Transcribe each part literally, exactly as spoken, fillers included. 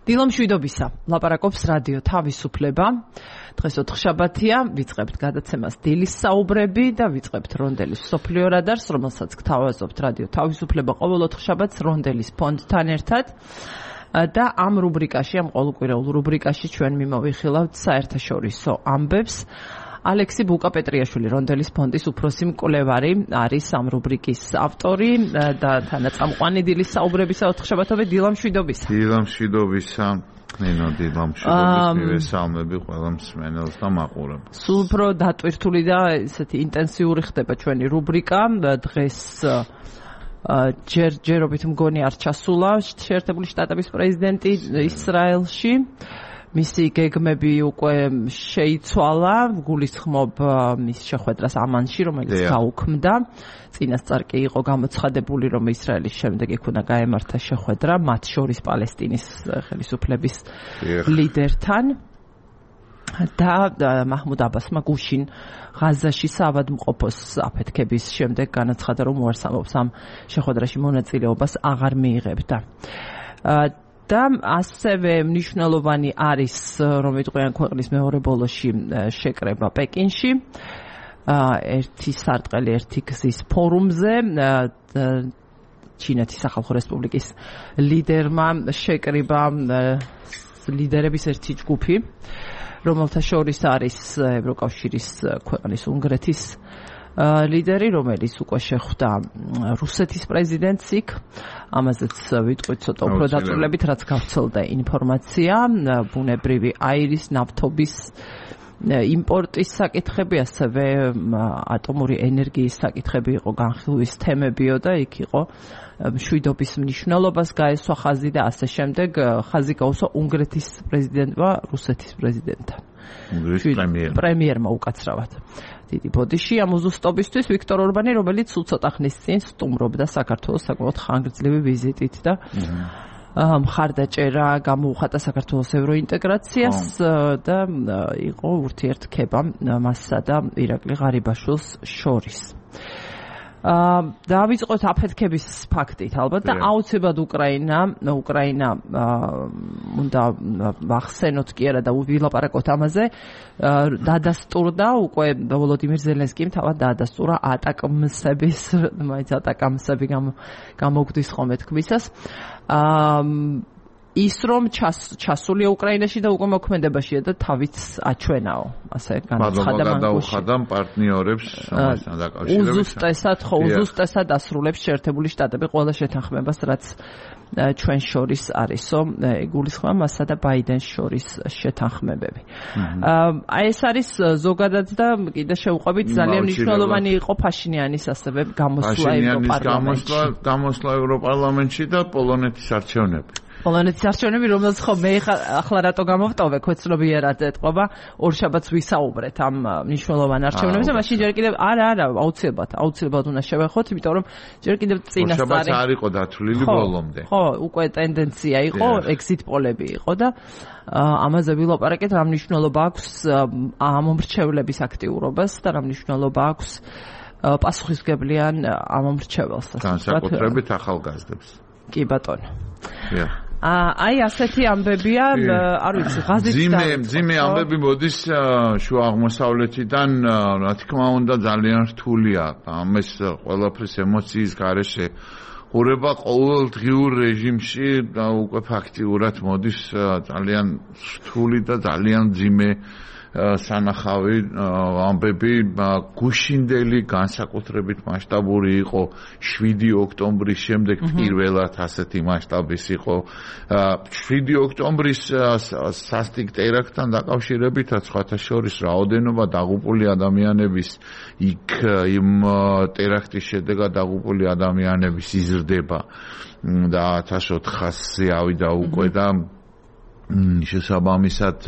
დილამშვიდობისა, ლაპარაკობს რადიო თავისუფლება. დღეს ოთხშაბათია, ვიწყებთ გადაცემას დილის საუბრები და ვიწყებთ რონდელის მსოფლიო რადარს, რომელსაც გთავაზობთ რადიო თავისუფლება ყოველ ოთხშაბათს რონდელის ფონდთან ერთად. და ამ რუბრიკაში, ამ ყოველკვირეულ რუბრიკაში ჩვენ მიმოვიხილავთ საერთაშორისო ამბებს. ალექსი ბუკა-პეტრიაშვილი, რონდელის ფონდის უფროსი მკვლევარი, არის ამ რუბრიკის ავტორი და თანაწამყვანი დილის საუბრებისა ოთხშაბათობით. დილამშვიდობისა. დილამშვიდობისა. ნინო, დილამშვიდობის მივესალმები ყველა მსმენელს და მაყურებელს. სულ უფრო დატვირთული და ესეთი ინტენსიური ხდება ჩვენი რუბრიკა. დღეს ჯერ ჯერობით მგონი არ ჩასულა შეერთებული შტატების პრეზიდენტი ისრაელში. მისი გეგმები უკვე შეიცვალა, გულისხმობ მის შეხვედრას ამანში, რომელიც გაუქმდა. წინასწარ კი იყო გამოცხადებული, რომ ისრაელის შემდეგ იქ უნდა გაემართა შეხვედრა მათ შორის პალესტინის ხელისუფლების ლიდერთან. და მაჰმუდ აბასმა გუშინ ღაზაში საავადმყოფოს აფეთქების შემდეგ განაცხადა, რომ უარსამობს ამ შეხვედრაში მონაწილეობას აღარ მიიღებდა. და ასევე მნიშვნელოვანი არის, რომ ვიტყვიან ქვეყნის მეორე ბოლოში შეკრება პეკინში, ერთი სარტყელი ერთი გზის ფორუმზე. ჩინეთის სახალხო რესპუბლიკის ლიდერმა შეკრიბა ლიდერების ერთი ჯგუფი, რომელთა შორის არის ევროკავშირის ქვეყნის უნგრეთის ლიდერი, რომელიც უკვე შეხვდა რუსეთის პრეზიდენტს იქ. ამაზეც ვიტყვით ცოტა უფრო დაწვრილებით, რაც გავრცელდა ინფორმაცია, ბუნებრივი აირის, ნავთობის იმპორტის საკითხები, ასევე ატომური ენერგიის საკითხები იყო განხილვის თემებიო და იქ იყო მშვიდობის მნიშვნელობას გაესვა ხაზი და ასე შემდეგ. ხაზი გაუსვა უნგრეთის პრეზიდენტმა რუსეთის პრეზიდენტთან. პრემიერმა უკაცრავად. დიდი ბოდიში ამ უზუსტობისთვის ვიქტორ ორბანი, რომელიც სულ ცოტა ხნის წინ სტუმრობდა საქართველოს საკმაოდ ხანგრძლივი ვიზიტით და მხარდაჭერა გამოუხატა საქართველოს ევროინტეგრაციას და იყო ურთიერთქება მასსა და ირაკლი ღარიბაშვილს შორის. დავიწყოთ აფეთქების ფაქტით ალბათ და აუცილებლად უკრაინა უკრაინა უნდა ვახსენოთ კი არა და ვილაპარაკოთ ამაზე. დადასტურდა უკვე ვოლოდიმირ ზელენსკიმ თავად დაადასტურა ატაკამსების მაინც ატაკამსები გამოგვდის ხოლმე თქმისას. ის რომ ჩასულია უკრაინაში და უკვე მოქმედებაშია და თავიც აჩვენაო, ასე განაცხადა მან. გადაუხადა პარტნიორებს ამასთან დაკავშირებით. უზუსტესად ხო, უზუსტესად ასრულებს შეერთებული შტატები ყველა შეთანხმებას, რაც ჩვენ შორის არისო, გულისხმობა მასა და ბაიდენს შორის შეთანხმებები. აი ეს არის ზოგადად და კიდე შევყვებით, ძალიან მნიშვნელოვანი იყო ფაშინიანის ასევე გამოსვლა ევროპარლამენტში. გამოსვლა ევროპარლამენტში და პოლონეთის არჩევნები. პოლონეთის არჩევნები, რომელსაც ხო მე ახლა რატო გამოვტოვე, ქვეცნობიერად ეთყობა, ორ შაბათს ვისაუბრეთ ამ მნიშვნელოვან არჩევნებზე, მაშინ ჯერ კიდევ არა, არა, აუცილებლად, აუცილებლად უნდა შევეხოთ, იმიტომ რომ ჯერ კიდევ წინასწარი. ორ შაბათს არ იყო დათვლილი ბოლომდე. ხო, უკვე ტენდენცია იყო, exit პოლები იყო და ამაზე ვილაპარაკეთ, რა მნიშვნელობა აქვს ამ მომრჩევლების აქტიურობას და რა მნიშვნელობა აქვს პასუხისმგებლიან ამ მომრჩეველს. განსაკუთრებით ახალგაზრდებს. კი ბატონო. აი ასეთი ამბებია, არ ვიცი, ღაზით ძიმე ძიმე ამბები მოდის შუა აღმოსავლეთიდან, რა თქმა უნდა ძალიან რთულია. ამას ყველაფრის ემოციის გარეშე ყურება ყოველდღიურ რეჟიმში და უკვე ფაქტიურად მოდის ძალიან რთული და ძალიან ძიმე სანახავი ამბები. გუშინდელი განსაკუთრებით მასშტაბური იყო შვიდი ოქტომბრის შემდეგ, პირველად ასეთი მასშტაბის იყო შვიდი ოქტომბრის სასტიკ ტერაქტთან დაკავშირებითაც, სხვათა შორის რაოდენობა დაღუპული ადამიანების იქ იმ ტერაქტის შედეგად დაღუპული ადამიანების იზრდება და ათას ოთხასი ავიდა უკვე და შესაბამისად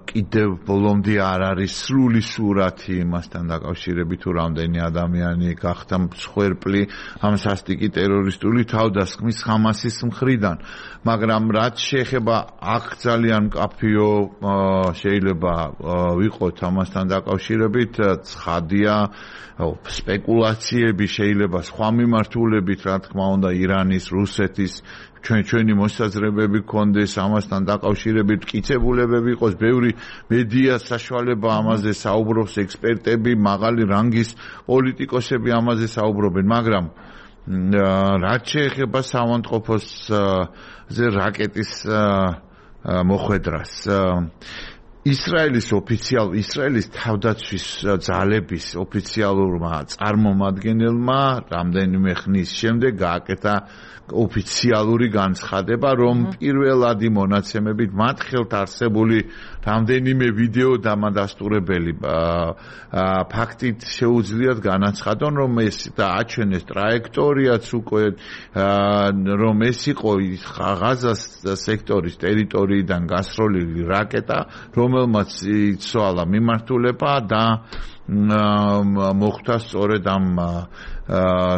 კიდევ ბოლომდე არ არის სრული სურათი იმასთან დაკავშირებით, თუ რამდენი ადამიანი გახდა მსხვერპლი ამ სასტიკი ტერორისტული თავდასხმის ხამასის მხრიდან. მაგრამ რაც შეეხება აქ ძალიან მკაფიო შეიძლება ვიყოთ ამასთან დაკავშირებით, ცხადია სპეკულაციები შეიძლება სხვა მიმართულებით, რა თქმა უნდა, ირანის, რუსეთის, ჩვენ ჩვენი მოსაზრებები გქონდეს, ამასთან დაკავშირებით მტკიცებულებები იყოს, ბევრი მედია საშუალება ამაზე საუბრობს, ექსპერტები, მაღალი რანგის პოლიტიკოსები ამაზე საუბრობენ, მაგრამ რაც შეეხება საავადმყოფოს ზე რაკეტის მოხვედრას, ისრაელის ოფიციალ ისრაელის თავდაცვის ძალების ოფიციალურმა წარმომადგენელმა რამდენიმე ხნის შემდეგ გააკეთა ოფიციალური განცხადება, რომ პირველადი მონაცემებით მათ ხელთ არსებული რამდენიმე ვიდეო დამადასტურებელი ფაქტით შეუძლიათ განაცხადონ, რომ ეს დააჩვენეს ტრაექტორიაც უკვე, რომ ეს იყო ღაზას სექტორის ტერიტორიიდან გასროლილი რაკეტა, რომელმაც იცვალა მიმართულება და მოხდა სწორედ ამ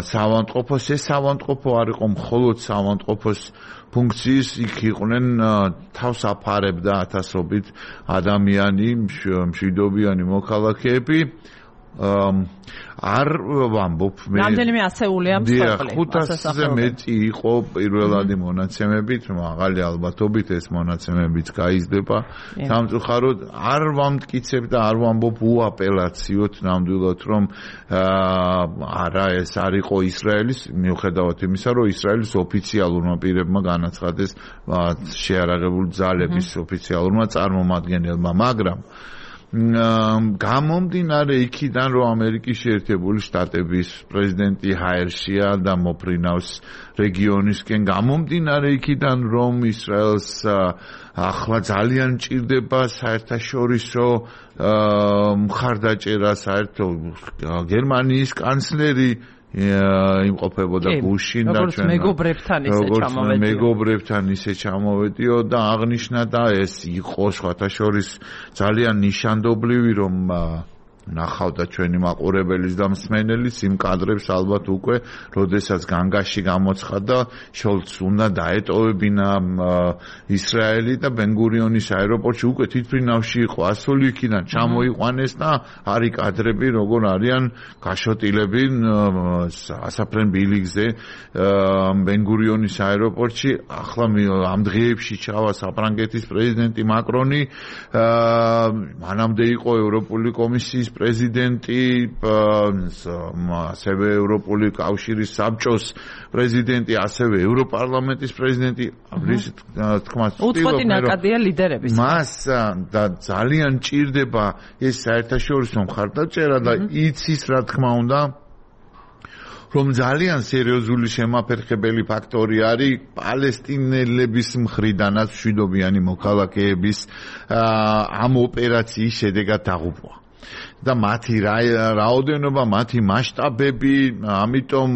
საავადმყოფოს. ეს საავადმყოფო არ იყო მხოლოდ საავადმყოფოს ფუნქციის, იქ იყვნენ თავს აფარებდა ათასობით ადამიანი, მშვიდობიანი მოქალაქეები. არ ვამბობ მე რამდენიმე ასეულია მსხვერპლი ხუთასზე მეტი იყო პირველადი მონაცემებით, მაღალი ალბათობით ეს მონაცემებიც გაიზრდება სამწუხაროდ. არ ვამტკიცებ და არ ვამბობ უაპელაციოდ ნამდვილად, რომ არა ეს არ იყო ისრაელის, მიუხედავად იმისა, რომ ისრაელის ოფიციალურმა პირებმა განაცხადეს შეარაღებული ძალების ოფიციალურმა წარმომადგენელმა, მაგრამ გამომდინარე იქიდან, რომ ამერიკის შეერთებული შტატების პრეზიდენტი ჰაერშია და მოფრინავს რეგიონისკენ, გამომდინარე იქიდან, რომ ისრაელს ახლა ძალიან ჭირდება საერთაშორისო მხარდაჭერა, საერთო გერმანიის კანცლერი იმყოფებოდა გუშინ და ჩვენ მეგობრებთან ისე ჩამოვედიო. მეგობრებთან ისე ჩამოვედიო და აღნიშნა და ეს იყო სხვათა შორის ძალიან ნიშანდობლივი, რომ ნახავდა ჩვენი მაყურებელის და მსმენელის იმ კადრებს ალბათ უკვე, როდესაც განგაში გამოცხადა შოლცს უნდა დაეტოვებინა ისრაელი და ბენ-გურიონის აეროპორტში უკვე თვითმფრინავში იყო ასული იქიდან ჩამოიყვანეს და არის კადრები, როგორ არიან გაშოტილები ასაფრენ ბილიგზე ბენ-გურიონის აეროპორტში. ახლა ამ დღეებში ჩავა საფრანგეთის პრეზიდენტი მაკრონი, მანამდე იყო ევროპული კომისიის პრეზიდენტი, ასევე ევროპული კავშირის საბჭოს პრეზიდენტი, ასევე ევროპარლამენტის პრეზიდენტი. უწყვეტი ნაკადია ლიდერების. მას და ძალიან ჭირდება ეს საერთაშორისო მხარდაჭერა და იცის, რა თქმა უნდა, რომ ძალიან სერიოზული შემაფერხებელი ფაქტორი არის პალესტინელების მხრიდანაც მშვიდობიანი მოქალაქეების ამ ოპერაციის შედეგად დაღუპვა. და მათი რაოდენობა, მათი მასშტაბები, ამიტომ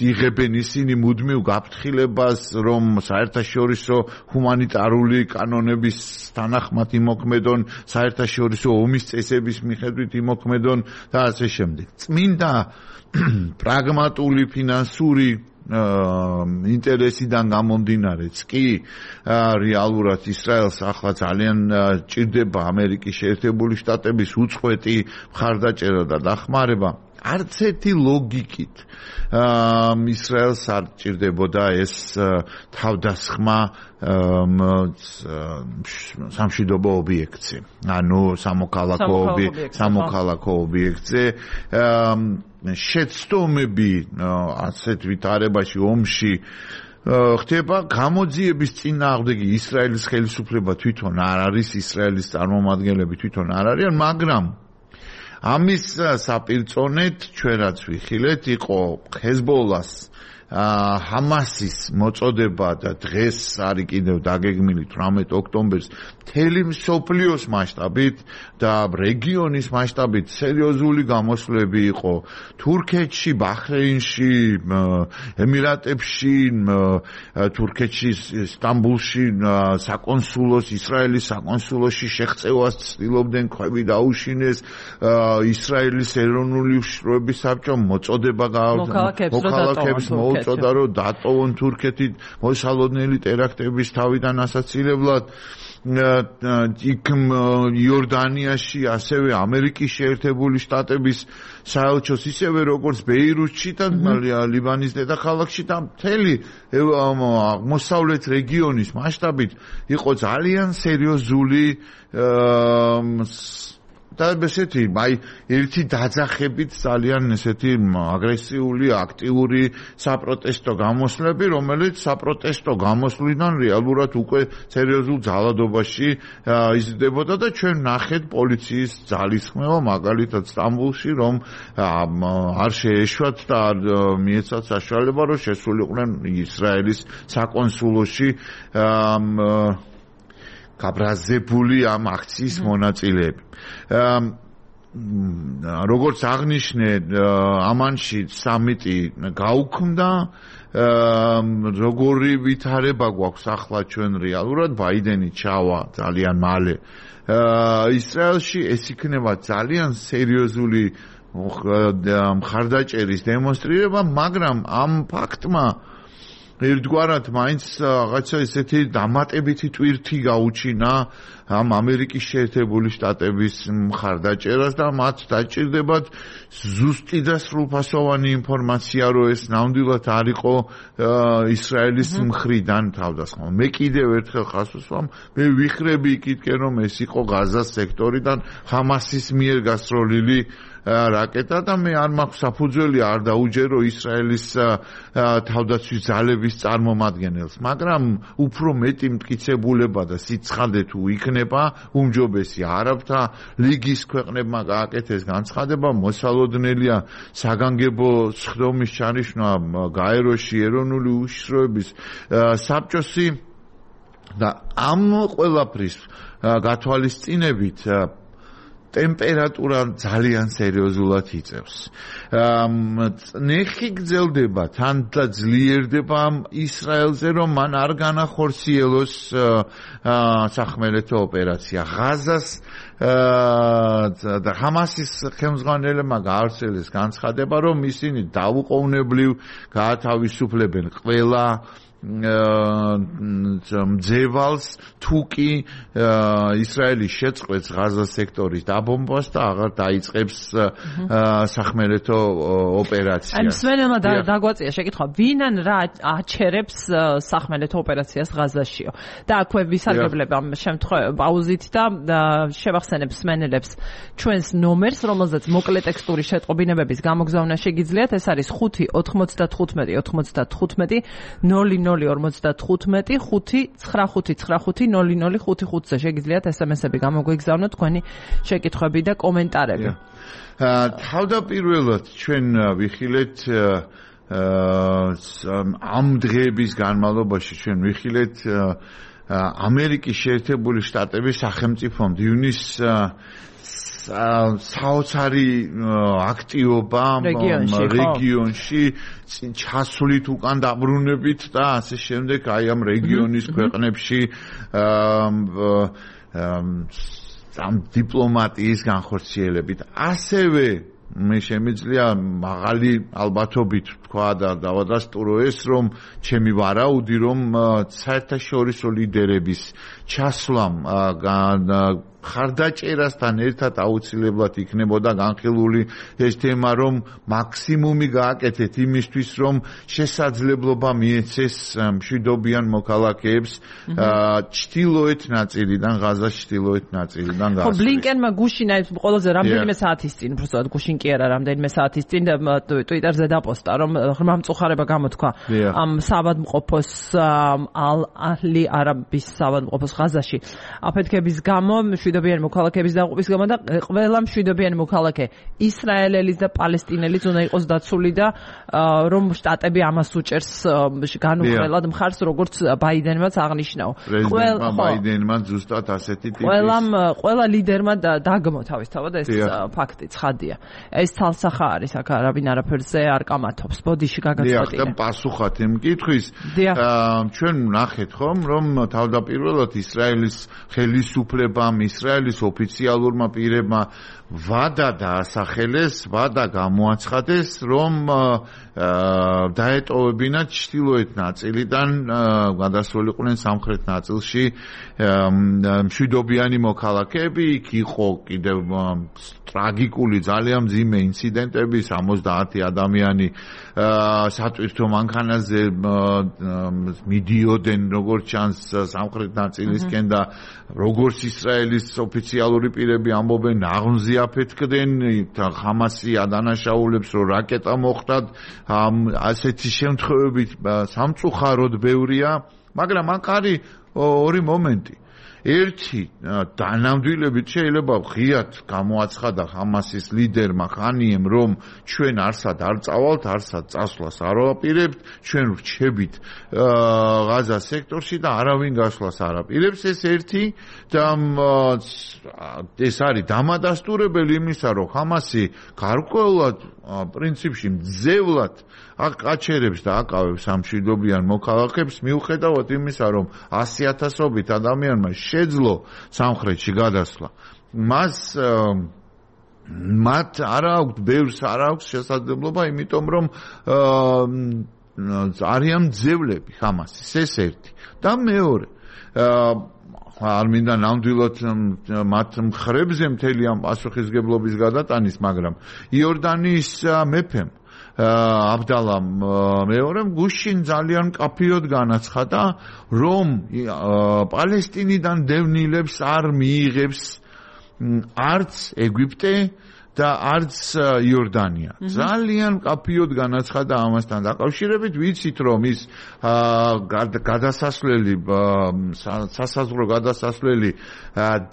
იღებენ ისინი მუდმივ გაფრთხილებას, რომ საერთაშორისო ჰუმანიტარული კანონების თანახმად იმოქმედონ, საერთაშორისო ომის წესების მიხედვით იმოქმედონ და ასე შემდეგ. წმინდა პრაგმატული ფინანსური ინტერესიდან გამომდინარეც კი რეალურად ისრაელს ახლა ძალიან ჭირდება ამერიკის შეერთებული შტატების უწყვეტი მხარდაჭერა და დახმარება. არც ერთი ლოგიკით ისრაელს არ ჭირდებოდა ეს თავდასხმა სამშვიდობო ობიექტზე, ანუ სამოქალაქო ობიექტზე. შეცდომები ასეთ ვითარებაში ომში ხდება, გამოძიების წინააღმდეგი ისრაელის ხელისუფლება თვითონ არ არის, ისრაელის წარმომადგენლები თვითონ არ არიან, მაგრამ ამის საპირწონედ ჩვენ რაც ვიხილეთ, იყო ჰეზბოლას ჰამასის მოწოდება და დღეს არის კიდევ დაგეგმილი თვრამეტ ოქტომბერს მთელი მსოფლიოს მასშტაბით და რეგიონის მასშტაბით სერიოზული გამოსვლები იყო თურქეთში, ბაჰრეინში, ემირატებში, თურქეთში, სტამბულში საკონსულოს, ისრაელის საკონსულოში შეღწევას ცდილობდნენ, ქვები დაუშინეს, ისრაელის ეროვნული უშიშროების საბჭომ მოწოდება მოქალაქეებს წოდა რომ დატოვონ თურქეთი მოსალოდნელი ტერაქტების თავიდან ასაცილებლად იქ იორდანიაში, ასევე ამერიკის შეერთებული შტატების საელჩოს, ისევე როგორც ბეირუთში და ლიბანის დედაქალაქში და მთელი აღმოსავლეთ რეგიონის მასშტაბით იყო ძალიან სერიოზული და ესეთი, აი, ერთი დაძახებით ძალიან ესეთი აგრესიული, აქტიური საპროტესტო გამოსვლები, რომელიც საპროტესტო გამოსვლიდან რეალურად უკვე სერიოზულ ძალადობაში იზრდებოდა და ჩვენ ნახეთ პოლიციის ძალისხმევა, მაგალითად სტამბოლში, რომ არ შეეშვათ და არ მიეცათ საშუალება, რომ შესულიყვნენ ისრაელის საკონსულოში გაბრაზებული ამ აქციის მონაწილეები. როგორც აღნიშნე, ამანში სამიტი გაუქმდა, როგორი ვითარება გვაქვს ახლა ჩვენ რეალურად, ბაიდენი ჩავა ძალიან მალე ისრაელში, ეს იქნება ძალიან სერიოზული მხარდაჭერის დემონსტრირება, მაგრამ ამ ფაქტმა ერთგვარად მაინც რაღაცა ესეთი დამატებითი ტვირთი გაუჩინა ამ ამერიკის შეერთებული შტატების მხარდაჭერას და მათ დაჭირდებათ ზუსტი და სრულფასოვანი ინფორმაცია, რომ ეს ნამდვილად არ იყო ისრაელის მხრიდან თავდასხმა. მე კიდევ ერთხელ ხას ვუსვამ, მე ვიხრები იქითკენ, რომ ეს იყო ღაზას სექტორიდან ჰამასის მიერ გასროლილი რაკეტა და მე არ მაქვს საფუძველი არ დაუჯერო ისრაელის თავდაცვის ძალების წარმომადგენელს, მაგრამ უფრო მეტი მტკიცებულება და სიცხადე თუ იქნება, უმჯობესი არაბთა ლიგის ქვეყნებმა გააკეთეს განცხადება, მოსალოდნელია საგანგებო სხდომის ჩანიშვნა გაეროში ეროვნული უშიშროების საბჭოსი და ამ ყველაფრის გათვალისწინებით ტემპერატურა ძალიან სერიოზულად იწევს. ნეხი გრძელდება, თან და ძლიერდება ისრაელზე, რომ მან არ განახორციელოს სახმელეთო ოპერაცია. ღაზას და ჰამასის ხელმძღვანელებმა გაავრცელეს განცხადება, რომ ისინი დაუყოვნებლივ გაათავისუფლებენ ყველა მძევალს თუ კი ისრაელის შეწყვეტს ღაზას სექტორის დაბომბვას და აღარ დაიწყებს სახმელეთო ოპერაციას. აი, მსმენელმა დაგვაწია შეკითხვა, ვინან რა აჩერებს სახმელეთო ოპერაციას ღაზაშიო? და აქვე ვისარგებლებ ამ შემთხვევაში პაუზით და შევახსენებ მსმენელებს ჩვენს ნომერს, რომელზეც მოკლე ტექსტური შეტყობინებების გამოგზავნა შეგიძლიათ. ეს არის ხუთი ოთხმოცდათხუთმეტი ოთხმოცდათხუთმეტი ნული ნული ორმოცდათხუთმეტი ხუთი ცხრა ხუთი ცხრა ხუთი ნული ნული ხუთი ხუთზე შეგიძლიათ ესემესები გამოგვიგზავნოთ თქვენი შეკითხვები და კომენტარები. თავდაპირველად ჩვენ ვიხილეთ ამ დღეების განმავლობაში ჩვენ ვიხილეთ ამერიკის შეერთებული შტატების სახელმწიფომ დივნის საოცარი აქტივობა რეგიონში ჩასვლით უკან დაბრუნებით და ასე შემდეგ აი ამ რეგიონის ქვეყნებში ამ დიპლომატიის განხორციელებით ასევე მე შემიძლია მაღალი ალბათობით თქვა და დავადასტურო ეს, რომ ჩემი ვარაუდი, რომ საერთაშორისო ლიდერების ჩასვლამ ხარდაჭერასთან ერთად აუცილებლად იქნებოდა განხილული ეს თემა, რომ მაქსიმუმი გააკეთეთ იმისთვის, რომ შესაძლებლობა მიეცეს მშვიდობიან მოქალაქეებს ჩრდილოეთ ნაწილიდან, ღაზას ჩრდილოეთ ნაწილიდან გასვლის. ხო, ბლინკენმა გუშინა ყველაზე რამდენიმე საათის წინ, უბრალოდ გუშინ კი არა, რამდენიმე საათის წინ ტვიტერზე დაპოსტა, რომ ღრმა მწუხარება გამოთქვა ამ საავადმყოფოს ალ-აჰლი არაბის საავადმყოფოს ღაზაში აფეთქების გამო, მშვიდობიანი მოქალაქეების დაღუპვის გამო და ყველა მშვიდობიანი მოქალაქე ისრაელელის და პალესტინელის უნდა იყოს დაცული და რომ შტატები ამას უჭერს განუხრელად მხარს, როგორც ბაიდენმაც აღნიშნაო. პრეზიდენტმა ბაიდენმა ზუსტად ასეთი ტიპის ყველამ ყველა ლიდერმა დაგმო თავისთავად ეს ფაქტი ცხადია. ეს თალსახა არის, აქ არაბინ არაფერზე არ კამათობს. ბოდიში გაგაცვეთინე. დიახ, და პასუხად იმ კითხვის ჩვენ ვნახეთ ხომ, რომ თავდაპირველად ისრაელის ხელისუფლებამ ისრაელის ოფიციალურმა პირებმა ვადა დაასახელეს, ვადა გამოაცხადეს, რომ დაეტოვებინათ ჩრდილოეთ ნაწილიდან გადასულიყვნენ სამხრეთ ნაწილში მშვიდობიანი მოქალაქეები. იქ იყო კიდევ ტრაგიკული ძალიან მძიმე ინციდენტები, სამოცდაათი ადამიანი სატვირთო მანქანაზე მიდიოდნენ როგორც ჩანს სამხრეთ ნაწილისკენ და როგორც ისრაელის ოფიციალური პირები ამბობენ, ნაღმზე აფეთქდნენ ხამასი ადანაშაულებს, რომ რაკეტა მოხვდათ. ასეთი შემთხვევები სამწუხაროდ ბევრია, მაგრამ აქ არის ორი მომენტი. ერთი დანამდვილებით შეიძლება ღიად გამოაცხადა ხამასის ლიდერმა ხანიემ, რომ ჩვენ არსად არ წავალთ, არსად წასვლას არ ვაპირებთ, ჩვენ ვრჩებით ღაზა სექტორში და არავინ გასვლას არ აპირებს. ეს ერთი და ეს არის დამადასტურებელი იმისა, რომ ხამასი გარკვეულად პრინციპში მძევლად აყაჩერებს და აკავებს ამ მშვიდობიან მოქალაქეებს, მიუხედავად იმისა, რომ ასი ათასობით ადამიანმა შეძლო სამხრეთში გადასვლა. მას მათ არ აქვს, ბევრს არ აქვს შესაძლებლობა, იმიტომ რომ არიან მძევლები ხამასის, ეს ერთი. და მეორე, არ მინდა ნამდვილად მათ მხრებზე მთელი ამ პასუხისგებლობის გადატანის, მაგრამ იორდანიის მეფემ აბდალამ მეორემ გუშინ ძალიან მკაფიოდ განაცხადა, რომ პალესტინიდან დევნილებს არ მიიღებს არც ეგვიპტე და არც იორდანია. ძალიან მკაფიოდ განაცხადა ამასთან დაკავშირებით. ვიცით, რომ ის გადასასვლელი სასაზღვრო გადასასვლელი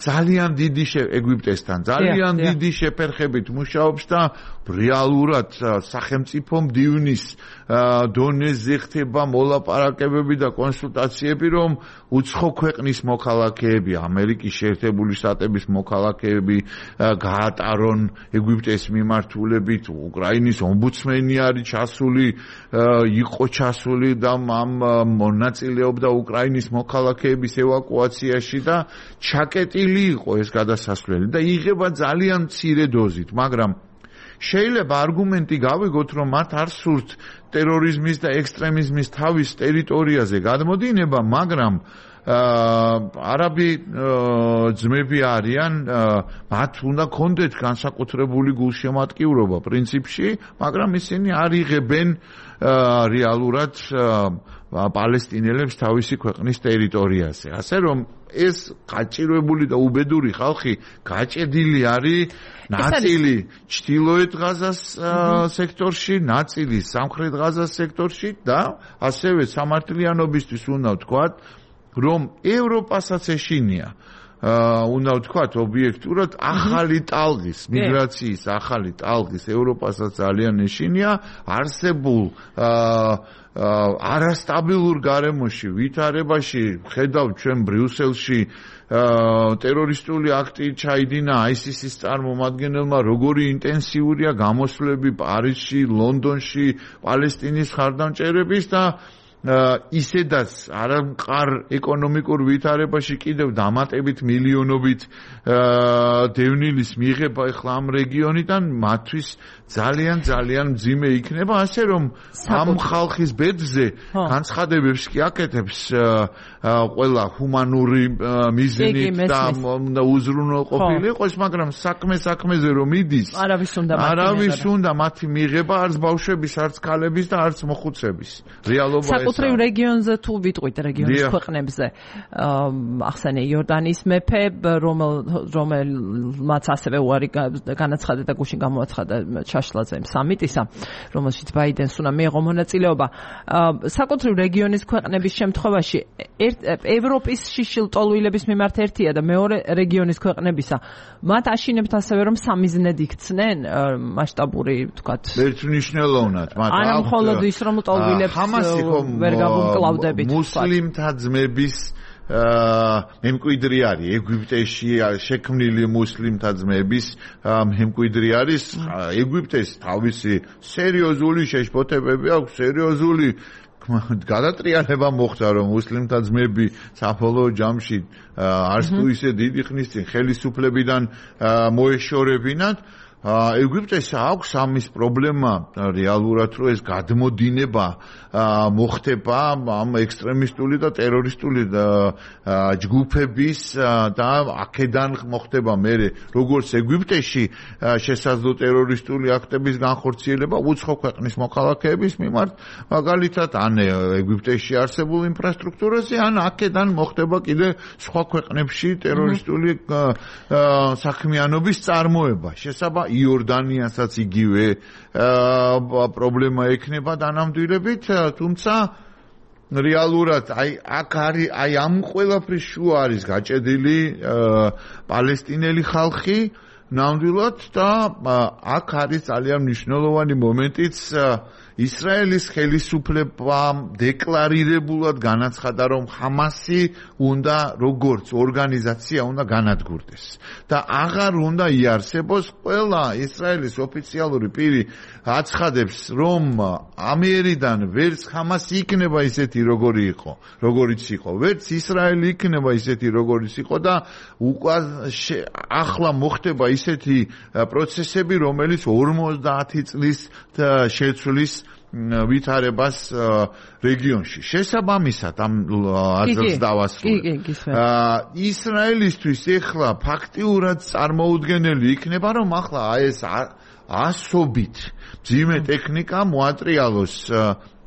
ძალიან დიდი ეგვიპტესთან ძალიან დიდი შეფერხებით მუშაობს და რეალურად სახელმწიფო მდივნის დონეზე ხდება მოლაპარაკებები და კონსულტაციები, რომ უცხო ქვეყნის მოქალაქეები, ამერიკის შეერთებული შტატების მოქალაქეები გაატარონ ეგვიპტეს მიმართულებით. უკრაინის ომბუდსმენი არის ჩასული, იყო ჩასული და ამ მონაწილეობდა უკრაინის მოქალაქეების ევაკუაციაში და ჩაკეტილი იყო ეს გადასასვლელი და იღება ძალიან მცირე დოზით, მაგრამ შეიძლება არგუმენტი გავიგოთ, რომ მათ არ სურთ ტერორიზმის და ექსტრემიზმის თავის ტერიტორიაზე გადმოდინება, მაგრამ არაბი ძმები არიან, მათ უნდა კონდეთ განსაკუთრებული გულშემატკივრობა პრინციპში, მაგრამ ისინი არ იღებენ რეალურად პალესტინელებს თავისი ქვეყნის ტერიტორიაზე. ასე რომ ეს გაჭირვებული და უბედური ხალხი გაჭედილი არის ნაწილი ჩრდილოეთ ღაზას სექტორში, ნაწილი სამხრეთ ღაზას სექტორში და ასევე სამართლიანობისთვის უნდა ვთქვათ, რომ ევროპასაც ეშინია უნდა ვთქვათ ობიექტურად ახალი ტალღის, მიგრაციის ახალი ტალღის ევროპასაც ძალიან ეშინია არსებულ არასტაბილურ გარემოში, ვითარებაში ხედავთ ჩვენ ბრიუსელში ტერორისტული აქტი ჩაიდინა აისისის წარმომადგენელმა, როგორი ინტენსიურია გამოსვლები პარიზში, ლონდონში, პალესტინის მხარდამჭერების და ისედაც არამყარ ეკონომიკურ ვითარებაში კიდევ დამატებით მილიონობით დევნილის მიღება ახლა ამ რეგიონიდან მათთვის ძალიან ძალიან მძიმე იქნება, ასე რომ ამ ხალხის ბედზე განცხადებებს კი აკეთებს ყველა ჰუმანური მიზნით და უნდა უზრუნველყოფილი იყოს, მაგრამ საქმე საქმეზე რომ მიდის, არავის უნდა მათი მიღება არც ბავშვების, არც ქალების და არც მოხუცების. რეალობა საკუთრივ რეგიონზე თუ ვიტყვით რეგიონის ქვეყნებზე, ახსენე იორდანიის მეფე, რომელმაც ასევე უარი განაცხადა და გუშინ გამოაცხადა შაშლაძე სამიტისა, რომელშიც ბაიდენს უნდა მიიღო მონაწილეობა. საკუთრივ რეგიონის ქვეყნების შემთხვევაში ევროპის შიშილტოლვილების მიმართ ერთია და მეორე რეგიონის ქვეყნებისა. მათ აშინებთ ასევე რომ სამიზნედ იქცნენ მასშტაბური, ვთქვათ, ერთმნიშვნელოვნად. არა მხოლოდ ის რომ ტოლვილებს ვერ გავუმკლავდებით. მუსლიმთა ძმების მემკვიდრი არის ეგვიპტეში შექმნილი მუსლიმთა ძმების მემკვიდრი არის. ეგვიპტეს თავისი სერიოზული შეშფოთებები აქვს, სერიოზული გადატრიალება მოხდა რომ მუსლიმთა ძმები საბოლოო ჯამში არც თუ ისე დიდი ხნის წინ ხელისუფლებიდან მოეშორებინათ ეგვიპტეს აქვს ამის პრობლემა რეალურად რომ ეს გადმოდინება მოხდება ამ ექსტრემისტული და ტერორისტული ჯგუფების და აქედან მოხდება მერე როგორც ეგვიპტეში შესაძლო ტერორისტული აქტების განხორციელება უცხო ქვეყნის მოქალაქეების მიმართ მაგალითად ან ეგვიპტეში არსებულ ინფრასტრუქტურაზე ან აქედან მოხდება კიდე სხვა ქვეყნებში ტერორისტული საქმიანობის წარმოება შესაბამისად იორდანიასაც იგივე პრობლემა ექნება დანამდვილებით, თუმცა რეალურად აი აქ არის აი ამ ყველაფრის შუა არის გაჭედილი პალესტინელი ხალხი ნამდვილად და აქ არის ძალიან მნიშვნელოვანი მომენტიც ისრაელის ხელისუფლებამ დეკლარირებულად განაცხადა, რომ ჰამასი უნდა როგორც ორგანიზაცია უნდა განადგურდეს და აღარ უნდა იარსებოს ყველა ისრაელის ოფიციალური პირი აცხადებს, რომ ამერიდან ვერც ჰამასი იქნება ისეთი როგორი იყო, როგორიც იყო, ვერც ისრაელი იქნება ისეთი როგორიც იყო და უკვე ახლა მოხდება ისეთი პროცესები, რომელიც ორმოცდაათი წლის შეცვლის ვითარებას რეგიონში. შესაბამისად ამ აზრს დავასრულებ. ისრაელისთვის ახლა ფაქტიურად წარმოუდგენელი იქნება, რომ ახლა ეს ასობით ძიმე ტექნიკა მოატრიალოს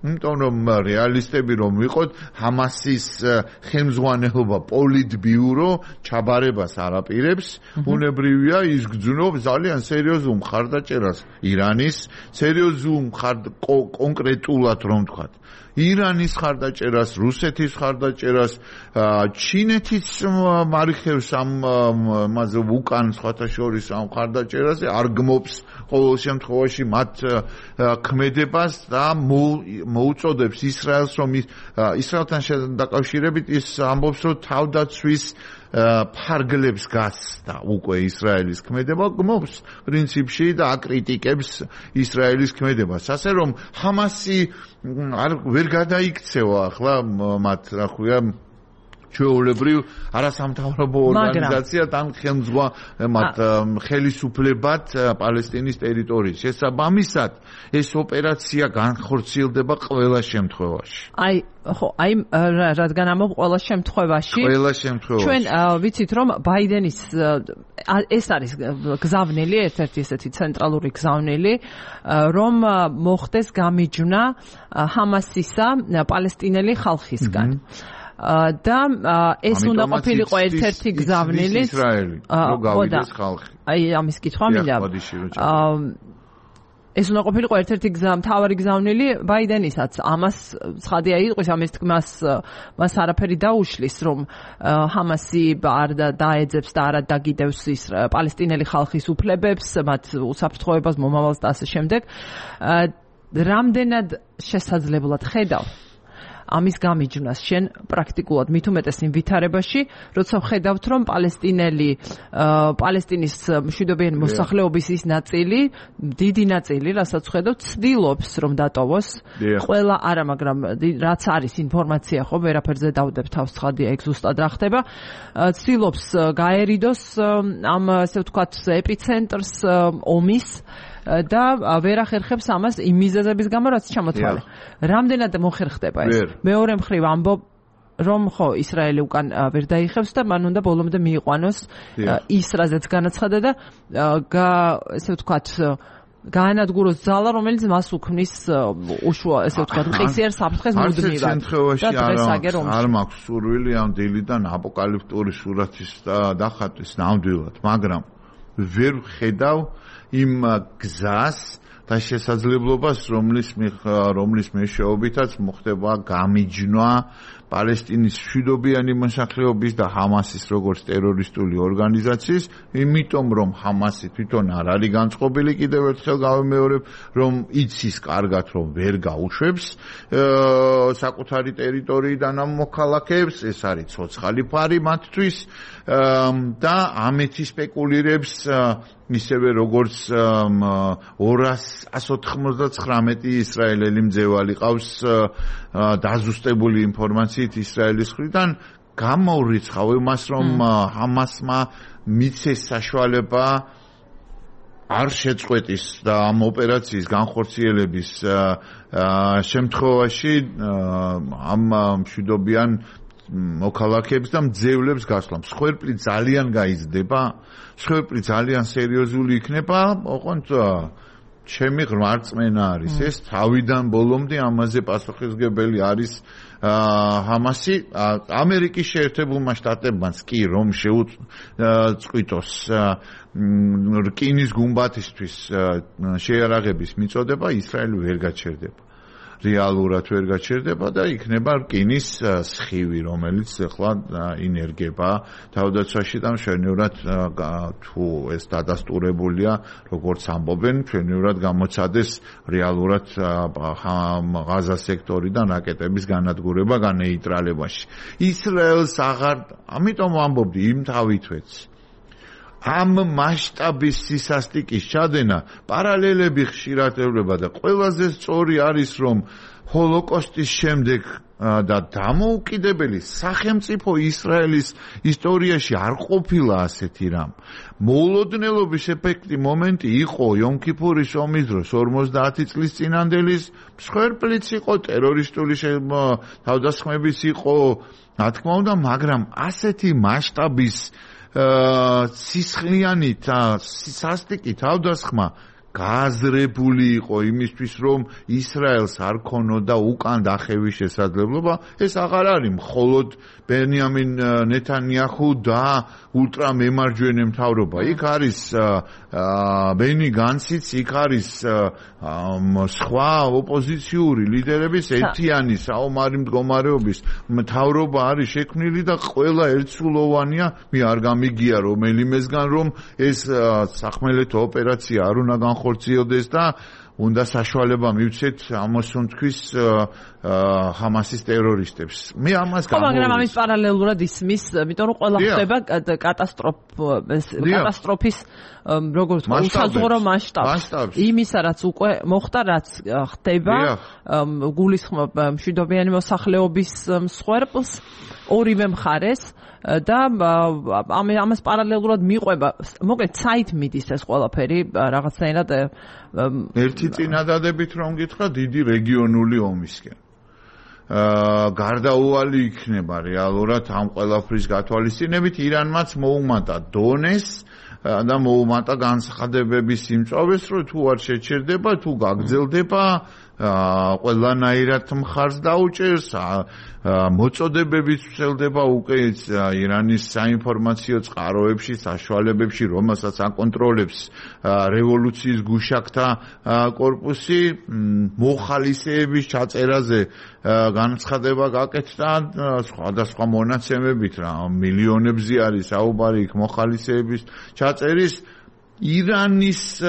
იმიტომ რომ რეალისტები რომ ვიყოთ ჰამასის ხელმძღვანელობა პოლიტბიურო ჩაბარებას არაპირებს უნებრივია ის გძნობს ძალიან სერიოზულ მხარდაჭერას ირანის სერიოზულ კონკრეტულად რომ ვთქვათ ირანის მხარდაჭერას რუსეთის მხარდაჭერას ჩინეთის მარიხევს ამ მასე უკან სხვათა შორის ამ მხარდაჭერაზე არ გმობს ყოველ შემთხვევაში მათ ქმედებას და მოუწოდებს ისრაელს რომ ისრაელთან დაკავშირებით ის ამბობს რომ თავდაცვის ფარგლებს გასდა უკვე ისრაელის ქმედება გმობს პრინციპში და აკრიტიკებს ისრაელის ქმედებას ასე რომ ჰამასი არ ვერ გადაიქცევა ახლა მათ რა ქვია ჩვეულებრივ არასამთავრობო ორგანიზაცია თან ხელმძღვანელად ხელისუფლებად პალესტინის ტერიტორიის შესაბამისად ეს ოპერაცია განხორციელდება ყველა შემთხვევაში. აი ხო, აი რადგან ამობ ყველა შემთხვევაში ყველა შემთხვევაში ჩვენ ვიცით რომ ბაიდენის ეს არის გზავნილი ერთ-ერთი ესეთი ცენტრალური გზავნილი რომ მოხდეს გამიჯვნა ჰამასისა პალესტინელი ხალხისგან. და ეს უნდა ყოფილიყო ერთ-ერთი გზავნილი ისრაელი რო გავიდეს ხალხი. აი ამის კითხვა მინდა. ეს უნდა ყოფილიყო ერთ-ერთი გზა მთავარი გზავნილი ბაიდენისაც ამას ცხადია იყოს ამის თქმას მას არაფერი დაუშლის რომ ჰამასი არ დაეძებს და არ დაგიდევს ის პალესტინელი ხალხის უფლებებს მათ უსაფრთხოებას მომავალს და ასე შემდეგ რამდენად შესაძლებლად ხედავ ამის გამიჯვნას შენ პრაქტიკულად მით უმეტეს იმ ვითარებაში, როცა ხედავთ რომ პალესტინელი პალესტინის მშვიდობიანი მოსახლეობის ის ნაწილი, დიდი ნაწილი, რასაც ხედავთ, ცდილობს რომ დატოვოს. ყველა არა, მაგრამ რაც არის ინფორმაცია ხო, ვერაფერზე დავდებ თავს ცხადია ეგ ზუსტად რა ხდება. ცდილობს გაერიდოს ამ ასე ვთქვათ ეპიცენტრს ომის და ვერ ახერხებს ამას იმ მიზეზების გამო რაც ჩამოთვალე. რამდენად მოხერხდება ეს? მეორე მხრივ ამბობ რომ ხო ისრაელი უკან ვერ დაიხევს და მან უნდა ბოლომდე მიიყვანოს ის რაზეც განაცხადა და ესე ვთქვათ გაანადგუროს ძალა რომელიც მას უქმნის უშუა ესე ვთქვათ მყისიერ საფრთხეს მუდმივად. არ მაქვს სურვილი ამ დილიდან აპოკალიფტური სურათის დახატვის ნამდვილად, მაგრამ ვერ ხედავ იმ გზას და შესაძლებლობას რომლის რომლის მეშვეობითაც მოხდება გამიჯვნა პალესტინის მშვიდობიანი მოსახლეობის და ჰამასის როგორც ტერორისტული ორგანიზაციის, იმიტომ რომ ჰამასი თვითონ არ არის განწყობილი, კიდევ ერთხელ გავიმეორებ, რომ იცის კარგად, რომ ვერ გაუშვებს საკუთარი ტერიტორიიდან ამ მოქალაქეებს, ეს არის ცოცხალი ფარი მათთვის და ამეთი სპეკულირებს ისევე როგორც ორას ოცდათხმეტი ისრაელელი მძევალი ყავს დაზუსტებული ინფორმაციით ისრაელის მხრიდან, გამოვრიცხავ იმას, რომ ჰამასმა მიცეს საშუალება არ შეწყვეტის და ამ ოპერაციის განხორციელების შემთხვევაში ამ მშვიდობიან მოქალაქეებს და მძევლებს გასვლა. მსხვერპლი ძალიან გაიზრდება, მსხვერპლი ძალიან სერიოზული იქნება, ოღონდ ჩემი ღრმა რწმენა არის ეს, თავიდან ბოლომდე ამაზე პასუხისმგებელი არის ჰამასი. ამერიკის შეერთებულმა შტატებმაც კი რომ შეუწყვიტოს რკინის გუმბათისთვის შეიარაღების მიწოდება, ისრაელი ვერ გაჩერდება. რეალურად ვერ გაჩერდება და იქნება რკინის სხივი, რომელიც ახლა ინერგება თავდაცვაში და მშვენივრად თუ ეს დადასტურებულია, როგორც ამბობენ, მშვენივრად გამოცადეს რეალურად ღაზა სექტორიდან რაკეტების განადგურება განეიტრალებაში. ისრაელს აღარ, ამიტომ ვამბობდი, იმთავითვეც ამ მასშტაბის სისასტიკის ჩადენა პარალელები ხშირად ევლება და ყველაზე სწორი არის, რომ ჰოლოკოსტის შემდეგ და დამოუკიდებელი სახელმწიფო ისრაელის ისტორიაში არ ყოფილა ასეთი რამ. მოულოდნელობის ეფექტი მომენტი იყო იომ-ქიფურის ომის დროს ორმოცდაათი წლის წინანდელის, მსხვერპლიც იყო, ტერორისტული თავდასხმებიც იყო, რა თქმა უნდა, მაგრამ ასეთი მასშტაბის სისხლიანი სასტიკი თავდასხმა გააზრებული იყო იმისთვის, რომ ისრაელს არ ქონოდა უკან დახევის შესაძლებლობა. ეს აღარ არის მხოლოდ ბენიამინ ნეთანიაჰუ და ულტრამემარჯვენე მთავრობა. იქ არის ბენი განციც, იქ არის სხვა ოპოზიციური ლიდერების ერთიანი საომარი მდგომარეობის მთავრობა არის შექმნილი და ყველა ერთსულოვანია. მე არ გამიგია რომელიმესგან, რომ ეს სახმელეთო ოპერაცია არ უნდა განხორციელდეს და უნდა საშუალება მივცეთ ამოსუნთქვის ჰამასის ტერორისტებს. მე ამას გამოვიდეს. მაგრამ ამის პარალელურად ისმის, იმიტომ რომ ყველა ხდება კატასტროფის როგორც უსაზღვრო მასშტაბს. იმისა, რაც უკვე მოხდა, რაც ხდება, გულისხმობ მშვიდობიანი მოსახლეობის მსხვერპლს ორივე მხარეს და ამას პარალელურად მიყვება, მოკლედ საით მიდის ეს ყველაფერი რაღაცნაირად ერთი წინადადებით რომ გითხრა დიდი რეგიონული ომისკენ. გარდაუვალი იქნება რეალურად ამ ყველაფრის გათვალისწინებით. ირანმაც მოუმატა დონეს და მოუმატა განცხადებების სიმწვავეს, რომ თუ არ შეჩერდება, თუ გაგრძელდება, ყველანაირად მხარს დაუჭერს, მოწოდებებიც ვრცელდება უკვე ირანის საინფორმაციო წყაროებში, საშუალებებში, რომელსაც აკონტროლებს რევოლუციის გუშაკთა კორპუსი, მოხალისეების ჩაწერაზე განცხადება გაკეთდა სხვადასხვა მონაცემებით, რა მილიონებზე არის საუბარი იქ მოხალისეების ჩაწერის. ირანის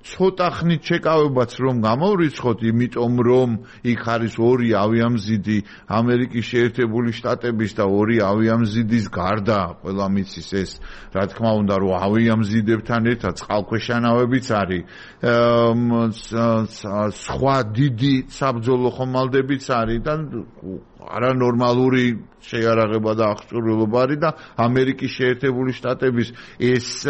ცოტა ხნით შეკავებაც რომ გამოვრიცხოთ, იმიტომ რომ იქ არის ორი ავიამზიდი ამერიკის შეერთებული შტატების და ორი ავიამზიდის გარდა, ყველა მიცის ეს, რა თქმა უნდა, რომ ავიამზიდებთან ერთად წყალქვეშანავებიც არის, სხვა დიდი საბრძოლო ხომალდებიც არის და არანორმალური შეიარაღება და აღჭურვილობა არის და ამერიკის შეერთებული შტატების ეს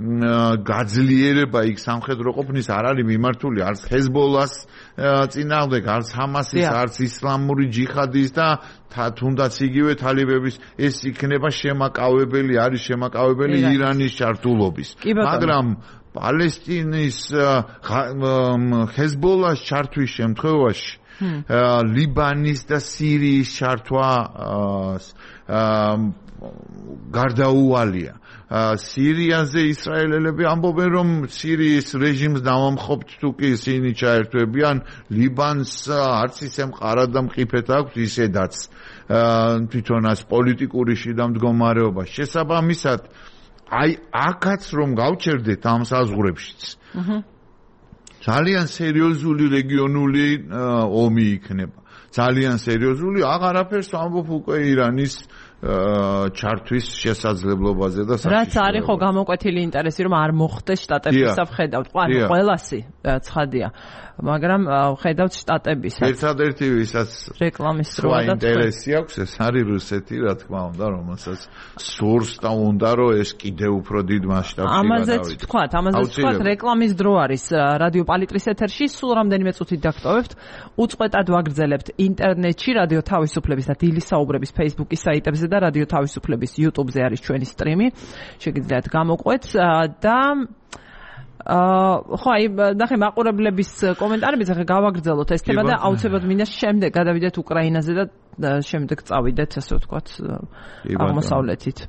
გაძლიერება იქ სამხედრო ყოფნის არ არის მიმართული არც ჰეზბოლას წინააღმდეგ, არც ჰამასის, არც ისლამური ჯიხადის და თუნდაც იგივე თალიბების. ეს იქნება შემაკავებელი, არის შემაკავებელი ირანის ჩართულობის. მაგრამ პალესტინის ჰეზბოლას ჩართვის შემთხვევაში ლიბანის და სირიის ჩართვა გარდაუვალია. სირიაზე ისრაელელები ამბობენ, რომ სირიის რეჟიმს დავამხობთ თუ კი ისინი ჩაერთვებიან ლიბანს, არც ისე მყარად და მყიფეთ აქვს ისედაც თვითონაც პოლიტიკური შიდა მდგომარეობა. შესაბამისად, აი აქაც რომ გავჩერდეთ ამ საზღვრებშიც. ძალიან სერიოზული რეგიონული ომი იქნება. ძალიან სერიოზული, აღარაფერს ამბობ უკვე ირანის ჩართვის შესაძლებლობაზე და საშიშროებაზე. რაც არის ხო გამოკვეთილი ინტერესი, რომ არ მოხდეს შტატების საფხედავთ. ყვანი ყველასი ცხადია. მაგრამ ხედავთ შტატებისაც. ერთადერთი ვისაც რეკლამის დროა და ინტერესი აქვს, ეს არის რუსეთი, რა თქმა უნდა, რომელსაც სურს და უნდა რომ ეს კიდევ უფრო დიდ მასშტაბში გადავიდეს. ამაზეც ვთქვათ, ამაზეც ვთქვათ, რეკლამის დრო არის რადიო პალიტრის ეთერში, სულ რამდენიმე წუთით დაგტოვებთ. უწყვეტად ვაგრძელებთ ინტერნეტში რადიო თავისუფლების და დილის საუბრების Facebook-ის საიტებზე და რადიო თავისუფლების YouTube-ზე არის ჩვენი სტრიმი. შეგიძლიათ გამოყვეთ და აა ხო აი ნახე მაყურებლების კომენტარებიც ახლა გავაგრძელოთ ეს თემა და აუცილებლად მინდა შემდეგ გადავიდეთ უკრაინაზე და შემდეგ წავიდეთ ასე ვთქვათ აღმოსავლეთით.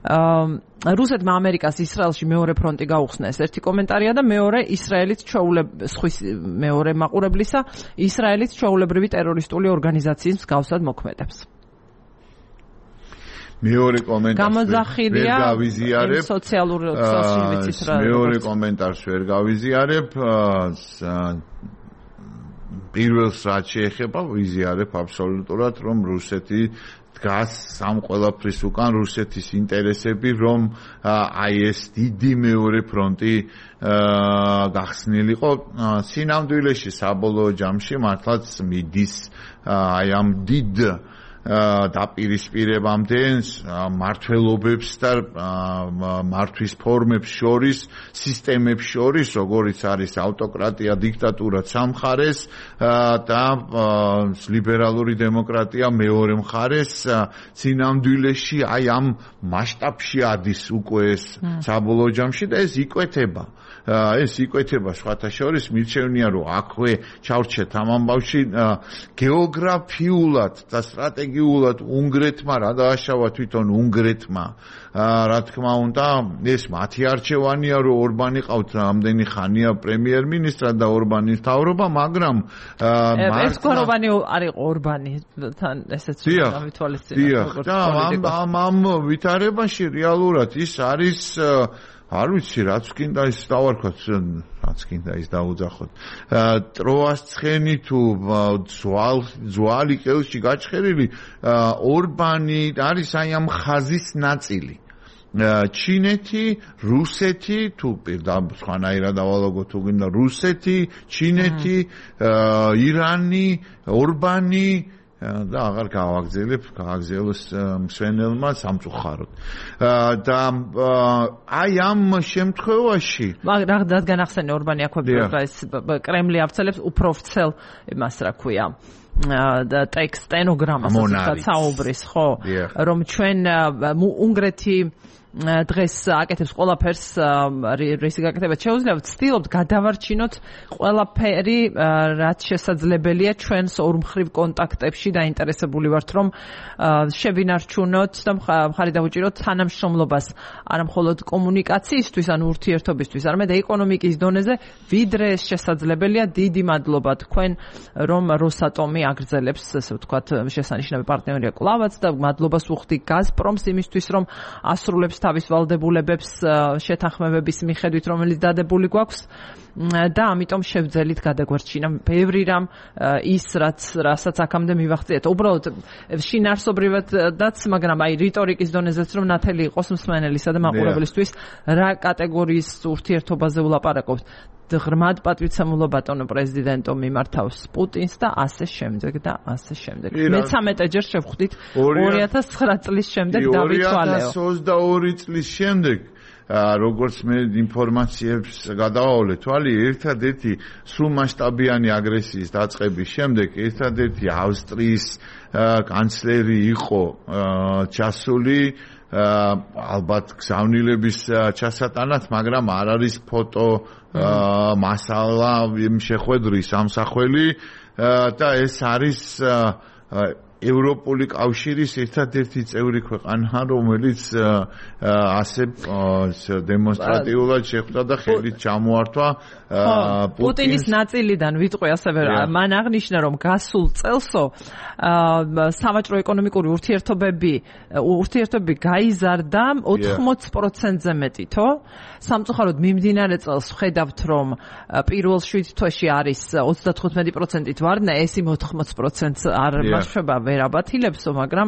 აა რუსეთმა ამერიკას ისრაელში მეორე ფრონტი გაუხსნა ეს ერთი კომენტარია და მეორე ისრაელით ჩვეულებრივი სხვის მეორე მაყურებლისა ისრაელით ჩვეულებრივი ტერორისტული ორგანიზაციის მსგავსად მოქმედებს. მეორე კომენტარს გამოზახილია გავიზიარებ სოციალურ ქსელში ვიცით რა მეორე კომენტარს ვერ გავიზიარებ პირველს რაც შეეხება ვიზიარებ აბსოლუტურად რომ რუსეთი დგას სამ ყველაფრის უკან რუსეთის ინტერესები რომ აი ეს დიდი მეორე ფრონტი გახსნილიყო სინამდვილეში საბოლოო ჯამში მართლაც მიდის აი ამ დიდ დაპირისპირებამდე მართლობებს და მართვის ფორმებს შორის, სისტემებს შორის, როგორიც არის ავტოკრატია, დიქტატურა სამხარეს და ლიბერალური დემოკრატია მეორე მხარეს, სინამდვილეში აი ამ მასშტაბში ადის უკვე ეს საბოლოო ჯამში და ეს იკვეთება. ეს იკვეთება სხვათა შორის მირჩევნია რომ აქვე ჩავრჩეთ ამ ამბავში გეოგრაფიულად და სტრატეგიულად უნგრეთმა რა დააშავა თვითონ უნგრეთმა რა თქმა უნდა ეს მათი არჩევანია რომ ორბანი ყავთ რამდენი ხანია პრემიერ-მინისტრად და ორბანის თავრობა მაგრამ ეს კორობანი არის ორბანი თან ესეც გავითვალისწინებთ და ამ ამ ვითარებაში რეალურად ის არის არ ვიცი რაც კიდე ის დავარქვათ რაც კიდე ის დაუძახოთ ტროას ცხენი თუ ძვალ ძვალი ყელში გაჩხერილი ორბანი არის აი ამ ხაზის ნაწილი ჩინეთი, რუსეთი, თუ პირდაპირ სხვანაირად დავალაგოთ თუ გინდა რუსეთი, ჩინეთი, ირანი, ორბანი და აღარ გავაგზელებ, გააგზელოს მსვენელმა სამწუხაროდ. და აი ამ შემთხვევაში მაგრამ რადგან ახსენე ორბანი აქვე ეს კრემლი ავრცელებს უფრო ვრცელ იმას რა ქვია და ტექსტ სტენოგრამას ასე საუბრის ხო რომ ჩვენ უნგრეთი დღეს აკეთებს ყველაფერს რისი გაკეთება შეუძლია ვცდილობთ გადავარჩინოთ ყველაფერი რაც შესაძლებელია ჩვენს ორმხრივ კონტაქტებში დაინტერესებული ვართ რომ შევინარჩუნოთ და მხარი დავუჭიროთ თანამშრომლობას არა მხოლოდ კომუნიკაციისთვის ანუ ურთიერთობისთვის არამედ ეკონომიკის დონეზე ვიდრე ეს შესაძლებელია დიდი მადლობა თქვენ რომ როსატომი აგრძელებს ასე ვთქვათ შესანიშნავი პარტნიორია კლავაც და მადლობას ვუხდი გაზპრომს იმისთვის რომ ასრულებს თავის ვალდებულებებს შეთანხმებების მიხედვით რომელიც დადებული გვაქვს და ამიტომ შევძელით გადაგვარჩინა ბევრი რამ ის რაც რასაც აქამდე მივახციეთ უბრალოდ შინაარსობრივადაც მაგრამ აი რიტორიკის დონეზეც რომ ნათელი იყოს მსმენელისა და მაყურებლისთვის რა კატეგორიის ურთიერთობაზე ვლაპარაკობთ ღრმად პატივცემულო ბატონო პრეზიდენტო მიმართავს პუტინს და ასე შემდეგ და ასე შემდეგ. მეთერთმეტე ჯერ შევხვდით ორი ათას ცხრა წლის შემდეგ დავითვალეო. ორი ათას ოცდაორი წლის შემდეგ როგორც მე ინფორმაციებს გადავავლე თვალი ერთადერთი სრულმასშტაბიანი აგრესიის დაწყების შემდეგ ერთადერთი ავსტრიის კანცლერი იყო ჩასული ალბათ გზავნილების ჩასატანად მაგრამ არ არის ფოტო მასალა შეხვედრის ამსახველი და ეს არის ევროპული კავშირის ერთადერთი წევრი ქვეყანა, რომელიც ასე დემონსტრატიულად შეხვდა და ხელით ჩამოართვა პუტინის ნაწილიდან ვიტყვი ასევე მან აღნიშნა რომ გასულ წელსო სამაჭრო ეკონომიკური ურთიერთობები ურთიერთობები გაიზარდა ოთხმოც პროცენტზე მეტითო სამწუხაროდ მიმდინარე წელს ხედავთ რომ პირველ შვიდ თვეში არის ოცდათხუთმეტი პროცენტით ვარდნა ეს იმ ოთხმოც პროცენტს არ მაშვება ვერ აბათილებსო მაგრამ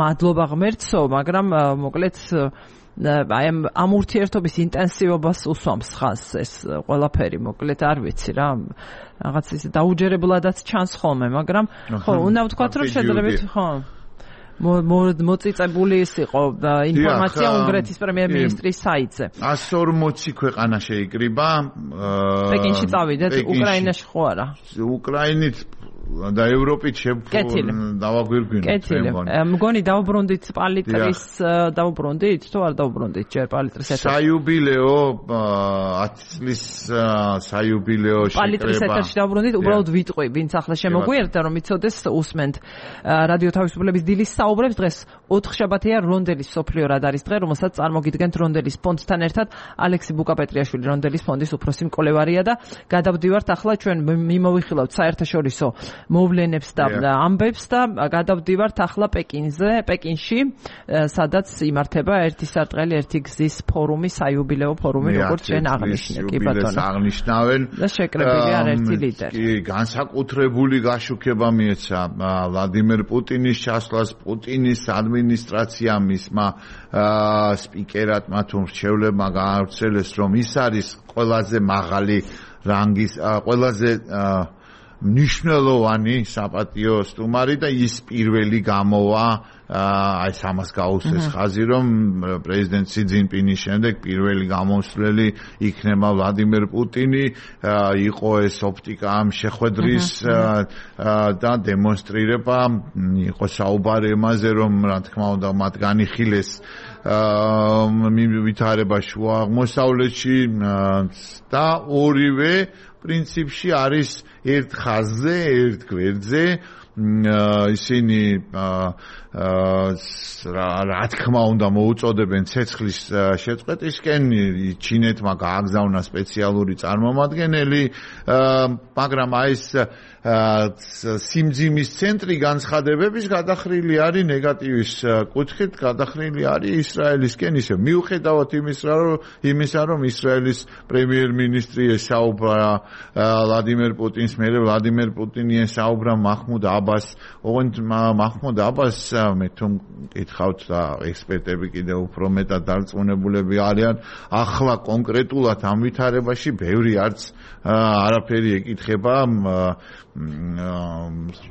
მადლობა ღმერთსო მაგრამ მოკლედ აი ამ ურთიერთობის ინტენსივობას უსვამს ხაზს ეს ყველაფერი მოკლედ არ ვიცი რა რაღაც ის დაუჯერებლადაც ჩანს ხოლმე მაგრამ ხო უნდა ვთქვათ რომ შედარებით ხო მოწიწებული ის იყო ინფორმაცია უნგრეთის პრემიერ-მინისტრის საიტზე εκατს ორმოცი ქვეყანა შეიკრიბა პეკინში წავიდეთ უკრაინაში ხო არა უკრაინით და ევროპით დავაგვირგვინოთ კეთილი მგონი დავუბრუნდით პალიტრის დავუბრუნდით თუ არ დავუბრუნდით ჯერ პალიტრის ეთერში საიუბილეო ათი წლის საიუბილეო შეკრება პალიტრის ეთერში დავუბრუნდით უბრალოდ ვიტყვი ვინც ახლა შემოგვიერთდა რომ იცოდეს უსმენთ რადიო თავისუფლების დილის საუბრებს დღეს ოთხშაბათია რონდელის სოფლიო რადარის დღე რომელსაც წარმოგიდგენთ რონდელის ფონდთან ერთად ალექსი ბუკაპეტრიაშვილი რონდელის ფონდის უფროსი მკვლევარია და გადავდივართ ახლა ჩვენ მიმოვიხილავთ საერთაშორისო მოვლენებს და ამბებს და გადავდივართ ახლა პეკინზე, პეკინში, სადაც იმართება ერთი სარტყელი, ერთი გზის ფორუმი, საიუბილეო ფორუმი, როგორც ჩვენ აღნიშნე, კი ბატონო. აღნიშნავენ და შეკრებილი არერთი ლიდერი. კი, განსაკუთრებული გაშუქება მიეცა ვლადიმერ პუტინის ჩასვლას, პუტინის ადმინისტრაციამ მისმა სპიკერატმა თუ მრჩევლებმა გაავრცელეს, რომ ის არის ყველაზე მაღალი რანგის, ყველაზე მნიშვნელოვანი საპატიო სტუმარი და ის პირველი გამოვა აი ამას გაუსვეს ხაზი რომ პრეზიდენტ სი ძინპინის შემდეგ პირველი გამოსვლელი იქნება ვლადიმერ პუტინი იყო ეს ოპტიკა ამ შეხვედრის და დემონსტრირება იყო საუბარი იმაზე რომ რა თქმა უნდა მათ განიხილეს ვითარება შუა აღმოსავლეთში და ორივე პრინციპში არის ერთ ხაზზე, ერთ გვერდზე ისინი რა თქმა უნდა მოუწოდებენ ცეცხლის შეწყვეტისკენ ჩინეთმა გააგზავნა სპეციალური წარმომადგენელი მაგრამ აი ეს სიმძიმის ცენტრი განცხადებების გადახრილი არის ნეგატივის კუთხით გადახრილი არის ისრაელისკენ ისე მიუხედავად იმისა რომ იმისა რომ ისრაელის პრემიერ-მინისტრი ესაუბრა ვლადიმერ პუტინს მერე ვლადიმერ პუტინი ესაუბრა მაჰმუდ აბას ოღონდ მაჰმუდ აბას მე თუ მკითხავთ და ექსპერტები კიდევ უფრო მეტად დარწმუნებულები არიან ახლა კონკრეტულად ამ ვითარებაში ბევრი არც არაფერი ეკითხება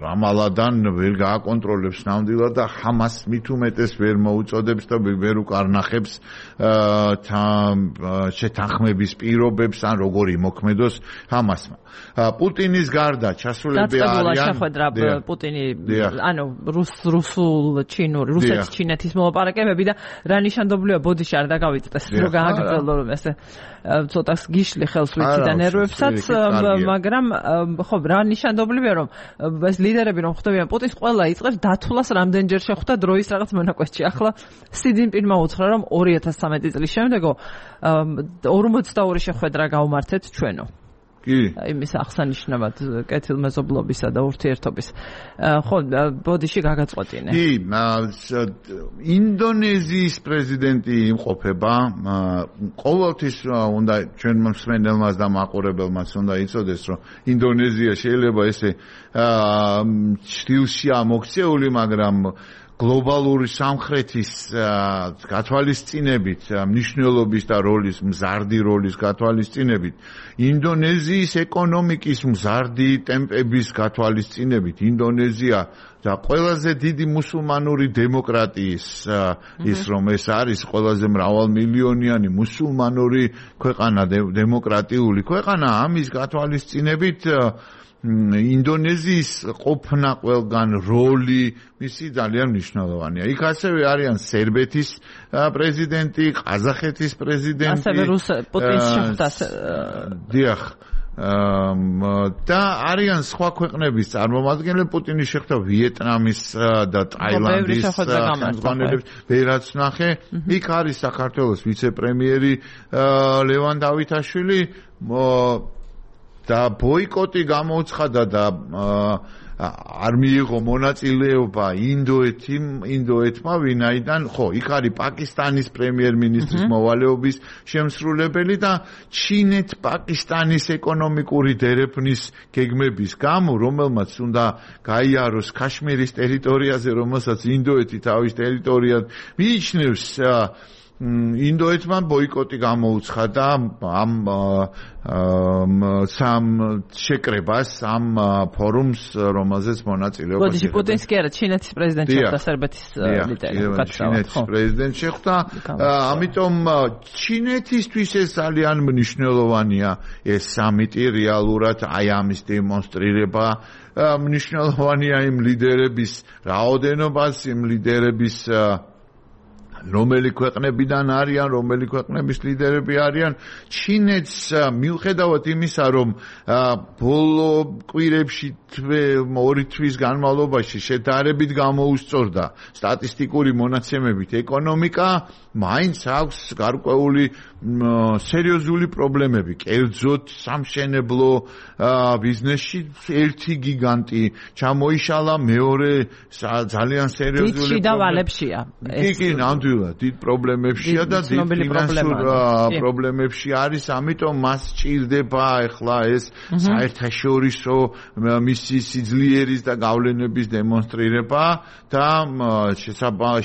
რამალადან ვერ გააკონტროლებს ნამდვილად და ჰამას მით უმეტეს ვერ მოუწოდებს და ვერ უკარნახებს შეთანხმების პირობებს ან როგორ იმოქმედოს ჰამასმა პუტინის გარდა ჩასულები არიან პუტინი ანუ რუსულ ჩინური რუსეთის ჩინეთის მოლაპარაკებები და რა ნიშანდობლია ბოდიში არ დაგავიწდეს რომ გააგრძელო რომ ესე ცოტა გიშლი ხელს ვიცი და ნერვებსაც მაგრამ ხო რა ნიშანდობლია რომ ეს ლიდერები რომ ხვდებიან პუტინს ყველა იწყებს დათვლას რამდენჯერ შეხვდა დროის რაღაც მონაკვეთში ახლა სი ძინპინმა უთხრა რომ ორი ათას ცხრამეტი წლის შემდეგო ორმოცდაორი შეხვედრა გავმართეთ ჩვენო კი იმის აღსანიშნავად კეთილმეზობლობისა და ურთიერთობის ხო ბოდიში გაგაწყვეტინე კი ინდონეზიის პრეზიდენტი იმყოფება ყოველთვის უნდა ჩვენ მსმენელმაც და მაყურებელმაც უნდა იცოდეს რომ ინდონეზია შეიძლება ესე ჭრილშია მოქცეული მაგრამ გლობალური სამხრეთის გათვალისწინებით მნიშვნელობის და როლის მზარდი როლის გათვალისწინებით ინდონეზიის ეკონომიკის მზარდი ტემპების გათვალისწინებით ინდონეზია და ყველაზე დიდი მუსულმანური დემოკრატიის ის რომ ეს არის ყველაზე მრავალმილიონიანი მუსულმანური ქვეყანა დემოკრატიული ქვეყანა ამის გათვალისწინებით ინდონეზიის ყოფნა ყველგან როლი მისი ძალიან მნიშვნელოვანია. იქ ასევე არიან სერბეთის პრეზიდენტი, ყაზახეთის პრეზიდენტი. ასევე რუს პუტინს შეხვდა. დიახ, და არიან სხვა ქვეყნების წარმომადგენლები პუტინი შეხვდა ვიეტნამის და ტაილანდის ხელმძღვანელებს ვერაც ნახე იქ არის საქართველოს ვიცე-პრემიერი ლევან დავითაშვილი და ბოიკოტი გამოუცხადა და არ მიიღო მონაწილეობა ინდოეთი ინდოეთმა ვინაიდან ხო იქ არის პაკისტანის პრემიერ-მინისტრის მოვალეობის შემსრულებელი და ჩინეთ-პაკისტანის ეკონომიკური დერეფნის გეგმების გამო რომელმაც უნდა გაიაროს ქაშმირის ტერიტორიაზე რომელსაც ინდოეთი თავის ტერიტორიად მიიჩნევს ინდოეთმა ბოიკოტი გამოუცხადა ამ სამ შეკრებას ამ ფორუმს რომელზეც მონაწილეობა შეხვდა. მოდი პუტინს კი არა ჩინეთის პრეზიდენტი შეხვდა სერბეთის ლიდერი ჩინეთის პრეზიდენტი შეხვდა ამიტომ ჩინეთისთვის ეს ძალიან მნიშვნელოვანია ეს სამიტი რეალურად აი ამის დემონსტრირება მნიშვნელოვანია იმ ლიდერების რაოდენობას იმ ლიდერების რომელი ქვეყნებიდან არიან, რომელი ქვეყნების ლიდერები არიან, ჩინეთს მიუხედავად იმისა, რომ ბოლო კვირებში ორი თვის განმავლობაში შედარებით გამოუსწორდა სტატისტიკური მონაცემებით ეკონომიკა, მაინც აქვს გარკვეული სერიოზული პრობლემები. კერძოდ სამშენებლო ბიზნესში ერთი გიგანტი ჩამოიშალა, მეორე ძალიან სერიოზული პრობლემებია. კი, ნამდვილად დიდ პრობლემებშია და დიდ ფინანსურ პრობლემებში არის, ამიტომ მას სჭირდება ახლა ეს საერთაშორისო მისი სიძლიერის და გავლენების დემონსტრირება და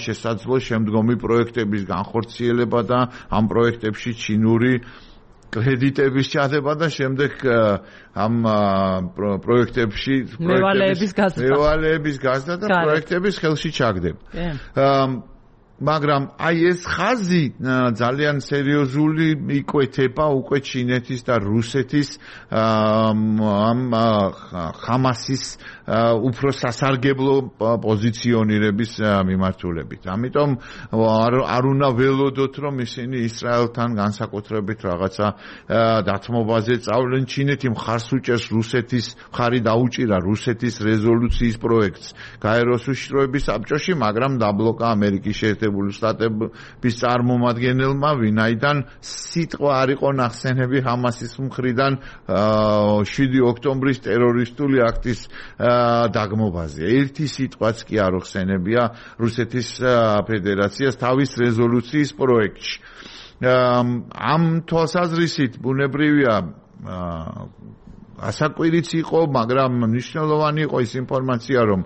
შესაძლო შემდგომი პროექტების განხორციელება და ამ პროექტებში ჩინური კრედიტების ჩადება და შემდეგ ამ პროექტებში მევალეების გაზრდა და პროექტების ხელში ჩაგდება. მაგრამ აი ეს ხაზი ძალიან სერიოზული იკვეთება უკვე ჩინეთის და რუსეთის ამ ხამასის უფრო სასარგებლო პოზიციონირების მიმართულებით. ამიტომ არ უნდა ველოდოთ, რომ ისინი ისრაელთან განსაკუთრებით რაღაცა დათმობაზე წავლენ. ჩინეთი მხარს უჭერს რუსეთის, მხარი დაუჭირა რუსეთის რეზოლუციის პროექტს გაეროს უშიშროების საბჭოში, მაგრამ დაბლოკა ამერიკის შეერთებული შტატების წარმომადგენელმა, ვინაიდან სიტყვა არ იყო ნახსენები ჰამასის მხრიდან შვიდი ოქტომბრის ტერორისტული აქტის დაგმობაზე. ერთი სიტყვაც კი არ ხსენებია რუსეთის ფედერაციას თავის რეზოლუციის პროექტში. ამ თვალსაზრისით ბუნებრივია ასაკვირიც იყო, მაგრამ მნიშვნელოვანი იყო ის ინფორმაცია, რომ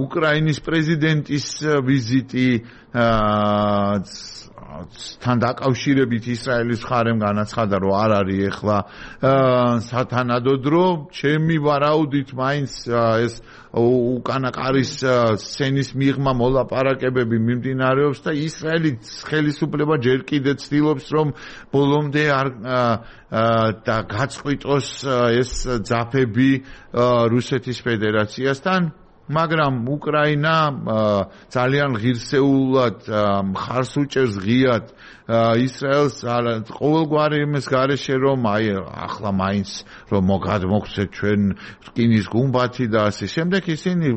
უკრაინის პრეზიდენტის ვიზიტი თან დაკავშირებით ისრაელის მხარემ განაცხადა, რომ არ არის ახლა სათანადო დრო. ჩემი ვარაუდით მაინც ეს უკანაკარის სცენის მიღმა მოლაპარაკებები მიმდინარეობს და ისრაელის ხელისუფლება ჯერ კიდევ ცდილობს, რომ ბოლომდე არ და გაწყვიტოს ეს ძაფები რუსეთის ფედერაციასთან. მაგრამ უკრაინა ძალიან ღირსეულად მხარს უჭერს ღიად ისრაელს ყოველგვარი იმის გარეშე, რომ აი ახლა მაინც რომ მოგადმოგცეთ ჩვენ რკინის გუმბათი და ასე შემდეგ, ისინი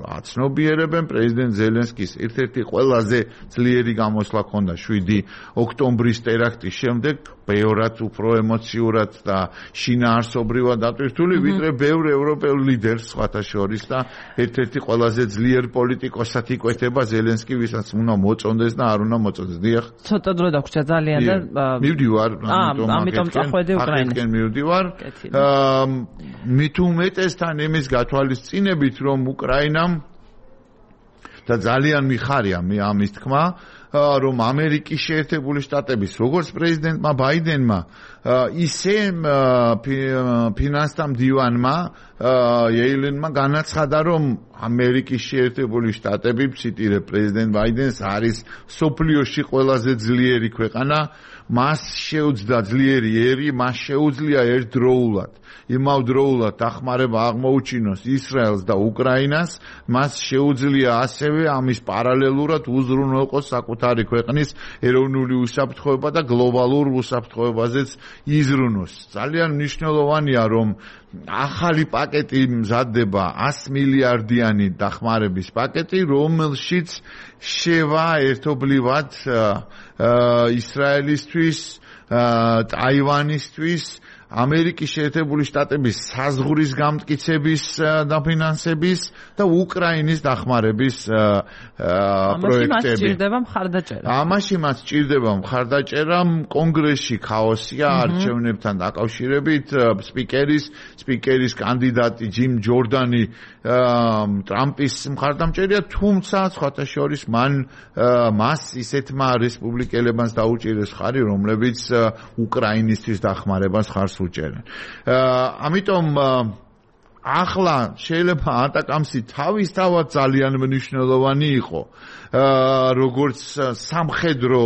აცნობიერებენ პრეზიდენტ ზელენსკის ერთ-ერთი ყველაზე ძლიერი გამოსვლა ჰქონდა შვიდი ოქტომბრის ტერაქტის შემდეგ, ბევრად უფრო ემოციურად და შინაარსობრივად დატვირთული, ვიდრე ბევრ ევროპელ ლიდერს სხვათა შორის და ერთ-ერთი ყველაზე ძლიერ პოლიტიკოსად იკვეთება ზელენსკი, ვისაც უნდა მოწონდეს და არ უნდა მოწონდეს. დიახ. ცოტა დრო დაგვრჩა ძალიან და მივდივარ, ამიტომ წახვედი უკრაინას. აქედან მივდივარ. მით უმეტესთან იმის გათვალისწინებით, რომ უკრაინამ და ძალიან მიხარია მე ამის თქმა, რომ ამერიკის შეერთებული შტატების როგორც პრეზიდენტმა ბაიდენმა, ისე ფინანსთა მდივანმა იელენმა განაცხადა, რომ ამერიკის შეერთებული შტატები, ციტირებ პრეზიდენტ ბაიდენს, არის სოფლიოში ყველაზე ძლიერი ქვეყანა, მას შეუძლია ძლიერი ერი, მას შეუძლია ერთდროულად იმავდროულად დახმარება აღმოუჩინოს ისრაელს და უკრაინას, მას შეუძლია ასევე ამის პარალელურად უზრუნველყოს საკუთარი ქვეყნის ეროვნული უსაფრთხოება და გლობალურ უსაფრთხოებაზეც იზრუნოს. ძალიან მნიშვნელოვანია, რომ ახალი პაკეტი მზადდება ას მილიარდიანი დახმარების პაკეტი, რომელშიც შევა ერთობლივად ისრაელისთვის, ტაივანისთვის, ამერიკის შეერთებული შტატების საზღვრის გამტკიცების დაფინანსების და უკრაინის დახმარების პროექტები. ამაში მას სჭირდება მხარდაჭერა. ამაში მას სჭირდება მხარდაჭერა. კონგრესში ქაოსია არჩევნებთან დაკავშირებით. სპიკერის სპიკერის კანდიდატი ჯიმ ჯორდანი ტრამპის მხარდამჭერია, თუმცა სხვათა შორის მან მას ისეთმა რესპუბლიკელებმაც დაუჭირეს ხარი, რომლებიც უკრაინისთვის დახმარებას ხარს უჭერენ. ამიტომ ახლა შეიძლება ატაკამსი თავისთავად ძალიან მნიშვნელოვანი იყო, როგორც სამხედრო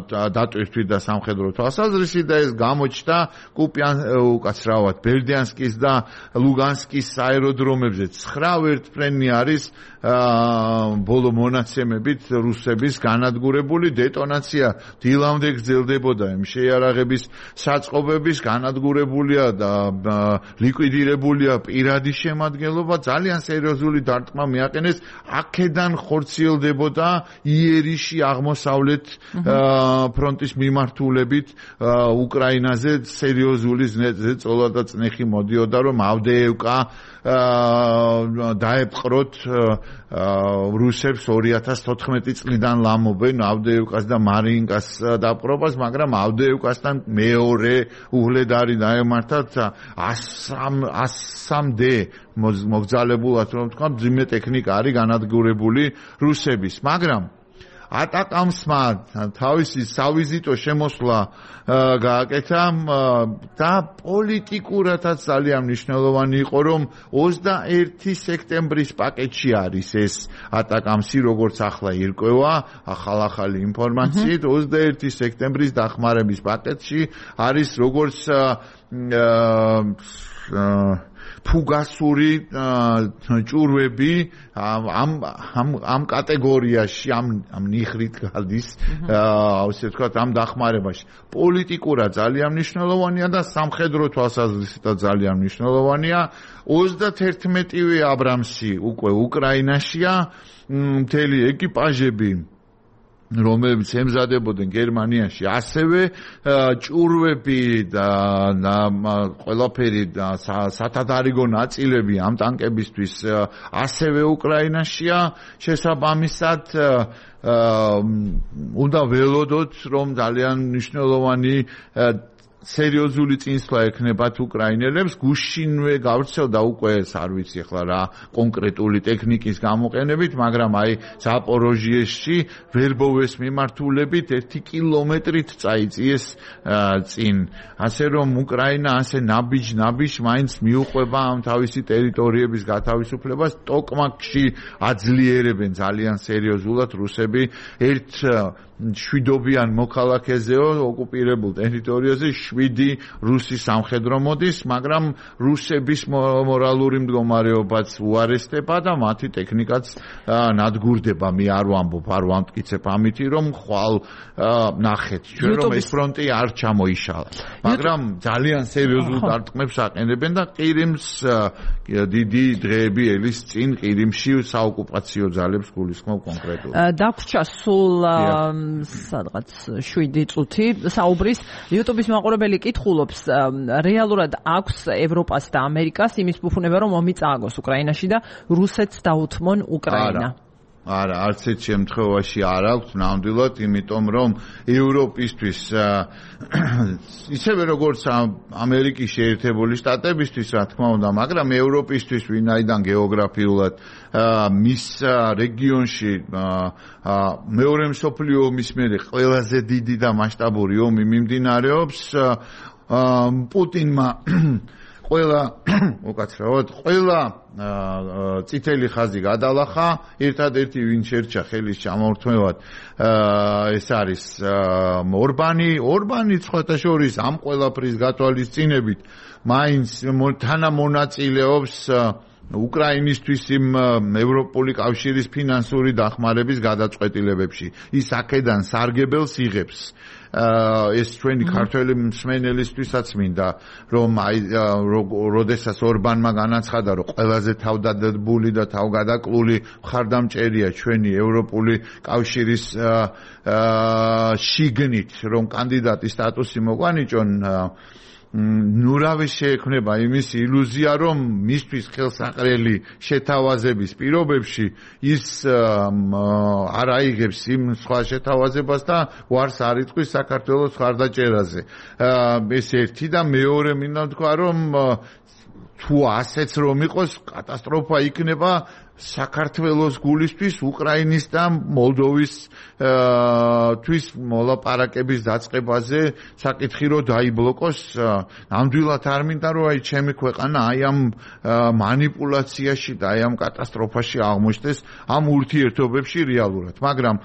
დატვირთვით და სამხედრო თვალსაზრისით და ეს გამოჩნდა კუპიან უკაცრავად ბერდიანსკის და ლუგანსკის აეროდრომებზე. ცხრა ვერტმფრენი არის ბოლო მონაცემებით რუსების განადგურებული. დეტონაცია დილამდე გრძელდებოდა, იმ შეიარაღების საწყობების განადგურებულია და ლიკვიდირებულია პირადი შემადგენლობა. ძალიან სერიოზული დარტყმა მიაყენეს. აქედან ხორციელდებოდა იერიში აღმოსავლეთ ფრონტის მიმართულებით უკრაინაზე სერიოზული ზეწოლა და წნეხი მოდიოდა, რომ ავდეევკა დაეპყროთ რუსებს ორი ათას თოთხმეტი წლიდან ლამობენ ავდეევკას და მარინკას დაპყრობას, მაგრამ ავდეევკასთან მეორე უჰლედარი დაემართათ ასამდე მოგზალებულად, რომ თქვა, ძიმე ტექნიკა არის განადგურებული რუსების, მაგრამ ატაკამსმა თავისი სავიზიტო შემოსვლა გააკეთა და პოლიტიკურადაც ძალიან მნიშვნელოვანი იყო, რომ ოცდაერთი სექტემბრის პაკეტში არის ეს ატაკამსი, როგორც ახლა ირკვევა ახალ-ახალი ინფორმაციით, ოცდაერთი სექტემბრის დახმარების პაკეტში არის როგორც ფუგასური ჭურვები ამ ამ ამ კატეგორიაში ამ ამ ნიხრით გადის, ასე ვთქვათ, ამ დახმარებაში. პოლიტიკურად ძალიან მნიშვნელოვანია და სამხედრო თვალსაზრისითაც ძალიან მნიშვნელოვანია. ოცდათერთმეტივე აბრამსი უკვე უკრაინაშია, მთელი ეკიპაჟები რომლებიც ემზადებოდნენ გერმანიაში, ასევე ჭურვები და ყველაფერი და სათადარიგო ნაწილები ამ ტანკებისთვის ასევე უკრაინაშია. შესაბამისად უნდა ველოდოთ, რომ ძალიან მნიშვნელოვანი სერიოზული წინსვლა ექნებათ უკრაინელებს. გუშინვე გავრცელდა უკვე არ ვიცი ახლა რა კონკრეტული ტექნიკის გამოყენებით, მაგრამ აი ზაპოროჟიეში ვერბოვეს მიმართულებით ერთი კილომეტრით წაიწიეს წინ. ასე რომ უკრაინა ასე ნაბიჯ-ნაბიჯ მაინც მიუყვება ამ თავისი ტერიტორიების გათავისუფლებას. ტოკმაკში აძლიერებენ ძალიან სერიოზულად რუსები ერთ შვიდობიან მოქალაქეზეო ოკუპირებულ ტერიტორიაზე შვიდი რუსი სამხედრო მოდის, მაგრამ რუსების მორალური მდგომარეობაც უარესდება და მათი ტექნიკაც ნადგურდება. მე არ ვამბობ, არ ვამტკიცებ ამითი, რომ ხვალ ნახეთ ჩვენ, რომ ეს ფრონტი არ ჩამოიშალა, მაგრამ ძალიან სერიოზულ დარტყმებს აყენებენ და ყირიმს დიდი დღეები ელის წინ ყირიმში საოკუპაციო ძალებს გულისხმობ კონკრეტულად. დაგვრჩა სულ სადღაც შვიდი წუთი საუბრის. YouTube-ის მაყურებელი კითხულობს, რეალურად აქვს ევროპას და ამერიკას იმის ფუფუნება, რომ ომი წააგოს უკრაინაში და რუსეთს დაუთმონ უკრაინა? არა, არც ერთ შემთხვევაში არ აქვს ნამდვილად, იმიტომ რომ ევროპისთვის ისევე როგორც ამერიკის შეერთებული შტატებისთვის, რა თქმა უნდა, მაგრამ ევროპისთვის ვინაიდან გეოგრაფიულად მის რეგიონში მეორე მსოფლიო ომის მერე ყველაზე დიდი და მასშტაბური ომი მიმდინარეობს, პუტინმა ყველა უკაცრავად ყველა წითელი ხაზი გადალახა, ერთადერთი ვინ შერჩა ხელის ჩამორთმევად ეს არის ორბანი, ორბანი სხვათა შორის ამ ყველაფრის გათვალისწინებით მაინც თანამონაწილეობს უკრაინისთვის იმ ევროპული კავშირის ფინანსური დახმარების გადაწყვეტილებებში. ის აქედან სარგებელს იღებს. ეს ჩვენი ქართველი მსმენელისთვისაც მინდა რომ აი როდესაც ორბანმა განაცხადა რომ ყველაზე თავდადებული და თავგადაკლული მხარდამჭერია ჩვენი ევროპული კავშირის შიგნით რომ კანდიდატის სტატუსი მოგვანიჭონ ნურავი შეექმნება იმის ილუზია რომ მისთვის ხელსაყრელი შეთავაზების პირობებში ის არ აიღებს იმ სხვა შეთავაზებას და ვარს არ იტყვის საქართველოს მხარდაჭერაზე. ეს ერთი და მეორე მინდა თქვა რომ თუ ასეც რომ იყოს კატასტროფა იქნება საქართველოს გულისთვის უკრაინის და მოლდოვის თვის მოლაპარაკების დაწყებაზე საკითხი რომ დაიბლოკოს ნამდვილად არ მინდა რომ აი ჩემი ქვეყანა აი ამ მანიპულაციაში და აი ამ კატასტროფაში აღმოჩნდეს ამ ურთიერთობებში რეალურად მაგრამ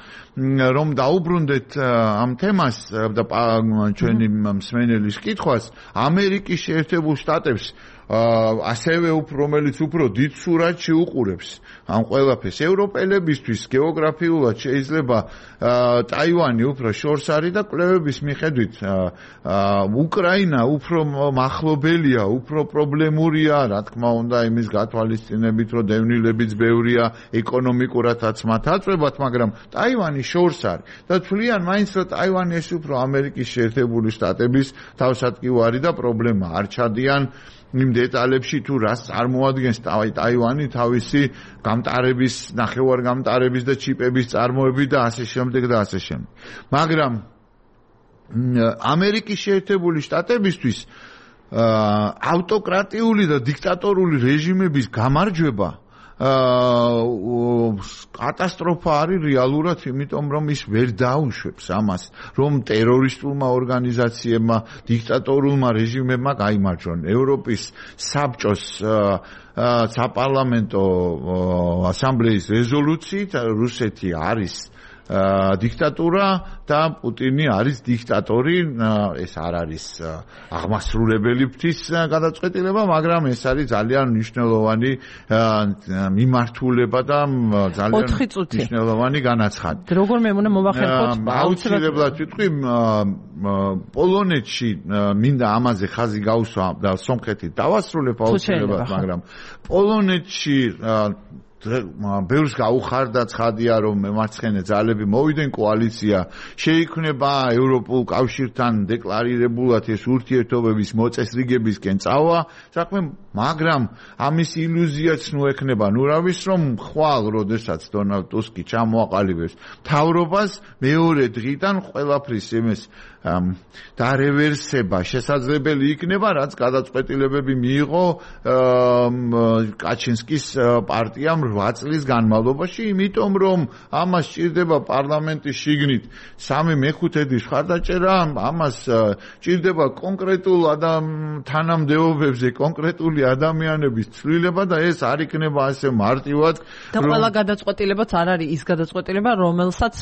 რომ დაუბრუნდეთ ამ თემას და ჩვენი მსმენელის კითხვას ამერიკის შეერთებულ შტატებს ასევე რომელიც უფრო დიდ სურათში უყურებს ამ ყველაფერს ევროპელებისთვის გეოგრაფიულად შეიძლება ტაივანი უფრო შორს არის და კვლევების მიხედვით უკრაინა უფრო მახლობელია, უფრო პრობლემურია, რა თქმა უნდა, იმის გათვალისწინებით, რომ დევნილებიც ბევრია, ეკონომიკურადაც მათ აწვევათ, მაგრამ ტაივანი შორს არის და თვლიან მაინც რომ ტაივანი ეს უფრო ამერიკის შეერთებული შტატების თავსატკივარი და პრობლემა არ ჩადიან იმ დეტალებში თუ რას წარმოადგენს ტაივანი თავისი გამტარების, ნახევარგამტარების და ჩიპების წარმოებით და ასე შემდეგ და ასე შემდეგ. მაგრამ ამერიკის შეერთებული შტატებისთვის ავტოკრატიული და დიქტატორული რეჟიმების გამარჯვება კატასტროფა არის რეალურად, იმიტომ რომ ის ვერ დაუშვებს ამას, რომ ტერორისტულმა ორგანიზაციებმა, დიქტატორულმა რეჟიმებმა გაიმარჯვონ. ევროპის საბჭოს საპარლამენტო ასამბლეის რეზოლუციით რუსეთი არის დიქტატურა და პუტინი არის დიქტატორი, ეს არ არის აღმასრულებელი ფთის გადაწყვეტილება, მაგრამ ეს არის ძალიან მნიშვნელოვანი მიმართულება და ძალიან მნიშვნელოვანი განაცხადი. როგორ მე უნდა მოვახერხოთ? აუცილებლად ვიტყვი, პოლონეთში მინდა ამაზე ხაზი გაუსვა და სომხეთით დავასრულებ აუცილებლად, მაგრამ პოლონეთში ბევრს გაუხარდა ცხადია რომ მემარცხენე ძალები მოვიდნენ კოალიცია შეიქმნება ევროპულ კავშირთან დეკლარირებულად ეს ურთიერთობების მოწესრიგებისკენ წავა საქმე მაგრამ ამის ილუზიაც ნუ ექნება ნურავის რომ ხვალ როდესაც დონალდ ტუსკი ჩამოაყალიბებს მთავრობას მეორე დღიდან ყველაფრის იმის დარევერსება შესაძლებელი იქნება რაც გადაწყვეტილებები მიიღო კაჩინსკის პარტიამ რვა წლის განმავლობაში იმიტომ რომ ამას სჭირდება პარლამენტის შიგნით სამი მეხუთედის მხარდაჭერა ამას სჭირდება კონკრეტულ თანამდებობებზე კონკრეტული ადამიანების ცვლილება და ეს არ იქნება ასე მარტივად და ყველა გადაწყვეტილებაც არ არის ის გადაწყვეტილება რომელსაც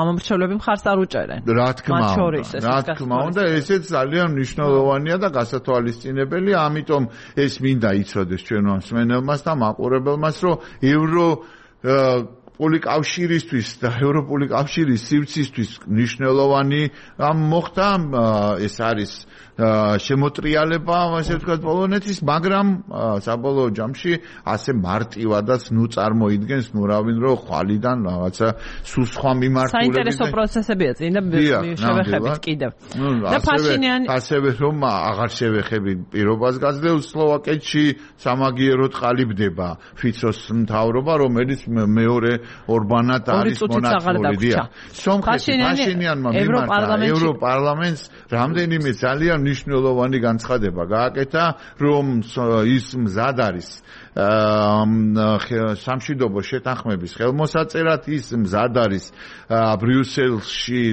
ამომრჩევლები მხარს არ უჭერენ რა თქმა რა თქმა უნდა ესეც ძალიან მნიშვნელოვანია და გასათვალისწინებელია ამიტომ ეს მინდა იცოდეს ჩვენ მსმენელმას და მაყურებელმას რომ ევრო პოლიკავშირისთვის და ევროპული კავშირის სივრცისთვის მნიშვნელოვანი ამ მოხდა ეს არის შემოტრიალება ასე ვთქვათ პოლონეთის მაგრამ საბოლოო ჯამში ასე მარტივადაც ნუ წარმოიდგენს ნუ რავინ რომ ხვალიდან რაღაცა სულ სხვა მიმართულებით საინტერესო პროცესებია წინ და შევეხებით კიდევ და ფაშინიანი ასევე რომ აღარ შევეხებით პირობას გაძლევს სლოვაკეთში სამაგიეროდ ყალიბდება ფიცოს მთავრობა რომელიც მეორე ორბანად არის მონაწილე. დიახ. სომხეთი ფაშინიანმა მიმართა ევროპარლამენტს რამდენიმე ძალიან მნიშვნელოვანი განცხადება გააკეთა, რომ ის მზად არის სამშვიდობო შეთანხმების ხელმოსაწერად, ის მზად არის ბრიუსელში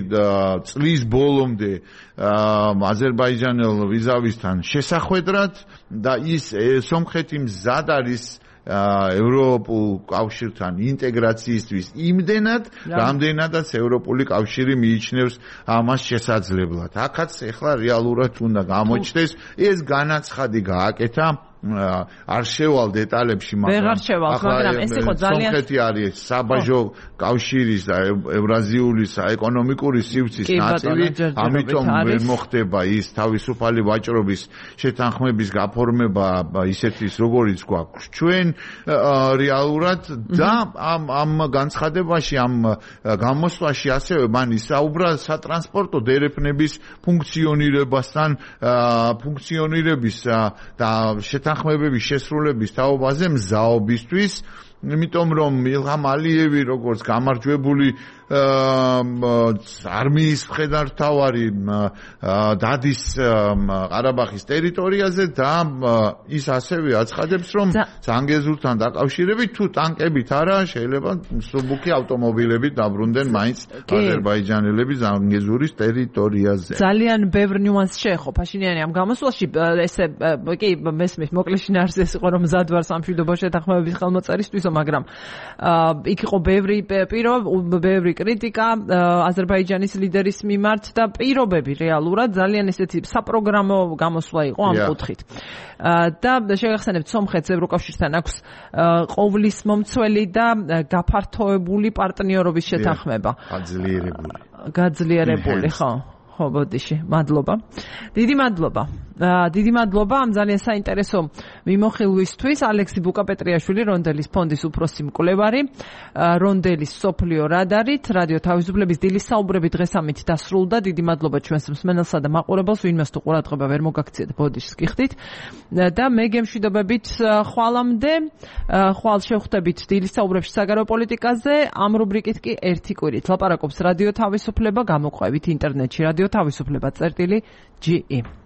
წლის ბოლომდე აზერბაიჯანელ ვიზავისთან შესახვედრად და ის სომხეთი მზად არის ევროპულ კავშირთან ინტეგრაციისთვის იმდენად, რამდენადაც ევროპული კავშირი მიიჩნევს ამას შესაძლებლად. აქაც ეხლა რეალურად უნდა გამოჩნდეს ეს განაცხადი გააკეთა არ შევალ დეტალებში, მაგრამ მაგრამ ეს იყო ძალიან სომხეთი არის საბაჟო კავშირის და ევრაზიული ეკონომიკური სივრცის ნაწილი, ამიტომ ვერ მოხდება ის თავისუფალი ვაჭრობის შეთანხმების გაფორმება ისეთის როგორიც გვაქვს ჩვენ რეალურად და ამ ამ განცხადებაში ამ გამოსვლაში ასევე მან ისაუბრა სატრანსპორტო დერეფნების ფუნქციონირებასთან ფუნქციონირების და შეთანხმებების შესრულების თაობაზე მზაობისთვის, იმიტომ რომ ილჰამ ალიევი როგორც გამარჯვებული არმიის მხედართმთავარი დადის ყარაბაღის ტერიტორიაზე და ის ასევე აცხადებს, რომ ზანგეზურთან დაკავშირებით თუ ტანკებით არა, შეიძლება მსუბუქი ავტომობილებით დაბრუნდნენ მაინც აზერბაიჯანელები ზანგეზურის ტერიტორიაზე. ძალიან ბევრ ნიუანსს შეეხო ფაშინიანი ამ გამოსვლაში, ესე კი მესმის მოკლე შინაარსი ეს იყო, რომ მზად ვარ სამშვიდობო შეთანხმებების ხელმოწერისთვისო, მაგრამ იქ იყო ბევრი პირო, ბევრი კრიტიკა აზერბაიჯანის ლიდერის მიმართ და პირობები რეალურად ძალიან ესეთი საპროგრამო გამოსვლა იყო ამ კუთხით. და შეგახსენებთ, სომხეთს ევროკავშირთან აქვს ყოვლის მომცველი და გაფართოებული პარტნიორობის შეთანხმება. გაძლიერებული. გაძლიერებული, ხო. ხო, ბოდიში, მადლობა. დიდი მადლობა. დიდი მადლობა ამ ძალიან საინტერესო მიმოხილვისთვის. ალექსი ბუკაპეტრიაშვილი, რონდელის ფონდის უფროსი მკვლევარი, რონდელის სოფლიო რადარით, რადიო თავისუფლების დილის საუბრები დღეს ამით დასრულდა. დიდი მადლობა ჩვენს მსმენელსა და მაყურებელს, ვინმეს თუ ყურადღება ვერ მოგაქციეთ, ბოდიშს გიხდით. და მე გემშვიდობებით ხვალამდე, ხვალ შევხვდებით დილის საუბრებში საგარეო პოლიტიკაზე, ამ რუბრიკით კი ერთი კვირით. ლაპარაკობს რადიო თავისუფლება, გამოყვებით ინტერნეტში რადიო თავისუფლება წერტილი ჯი ი.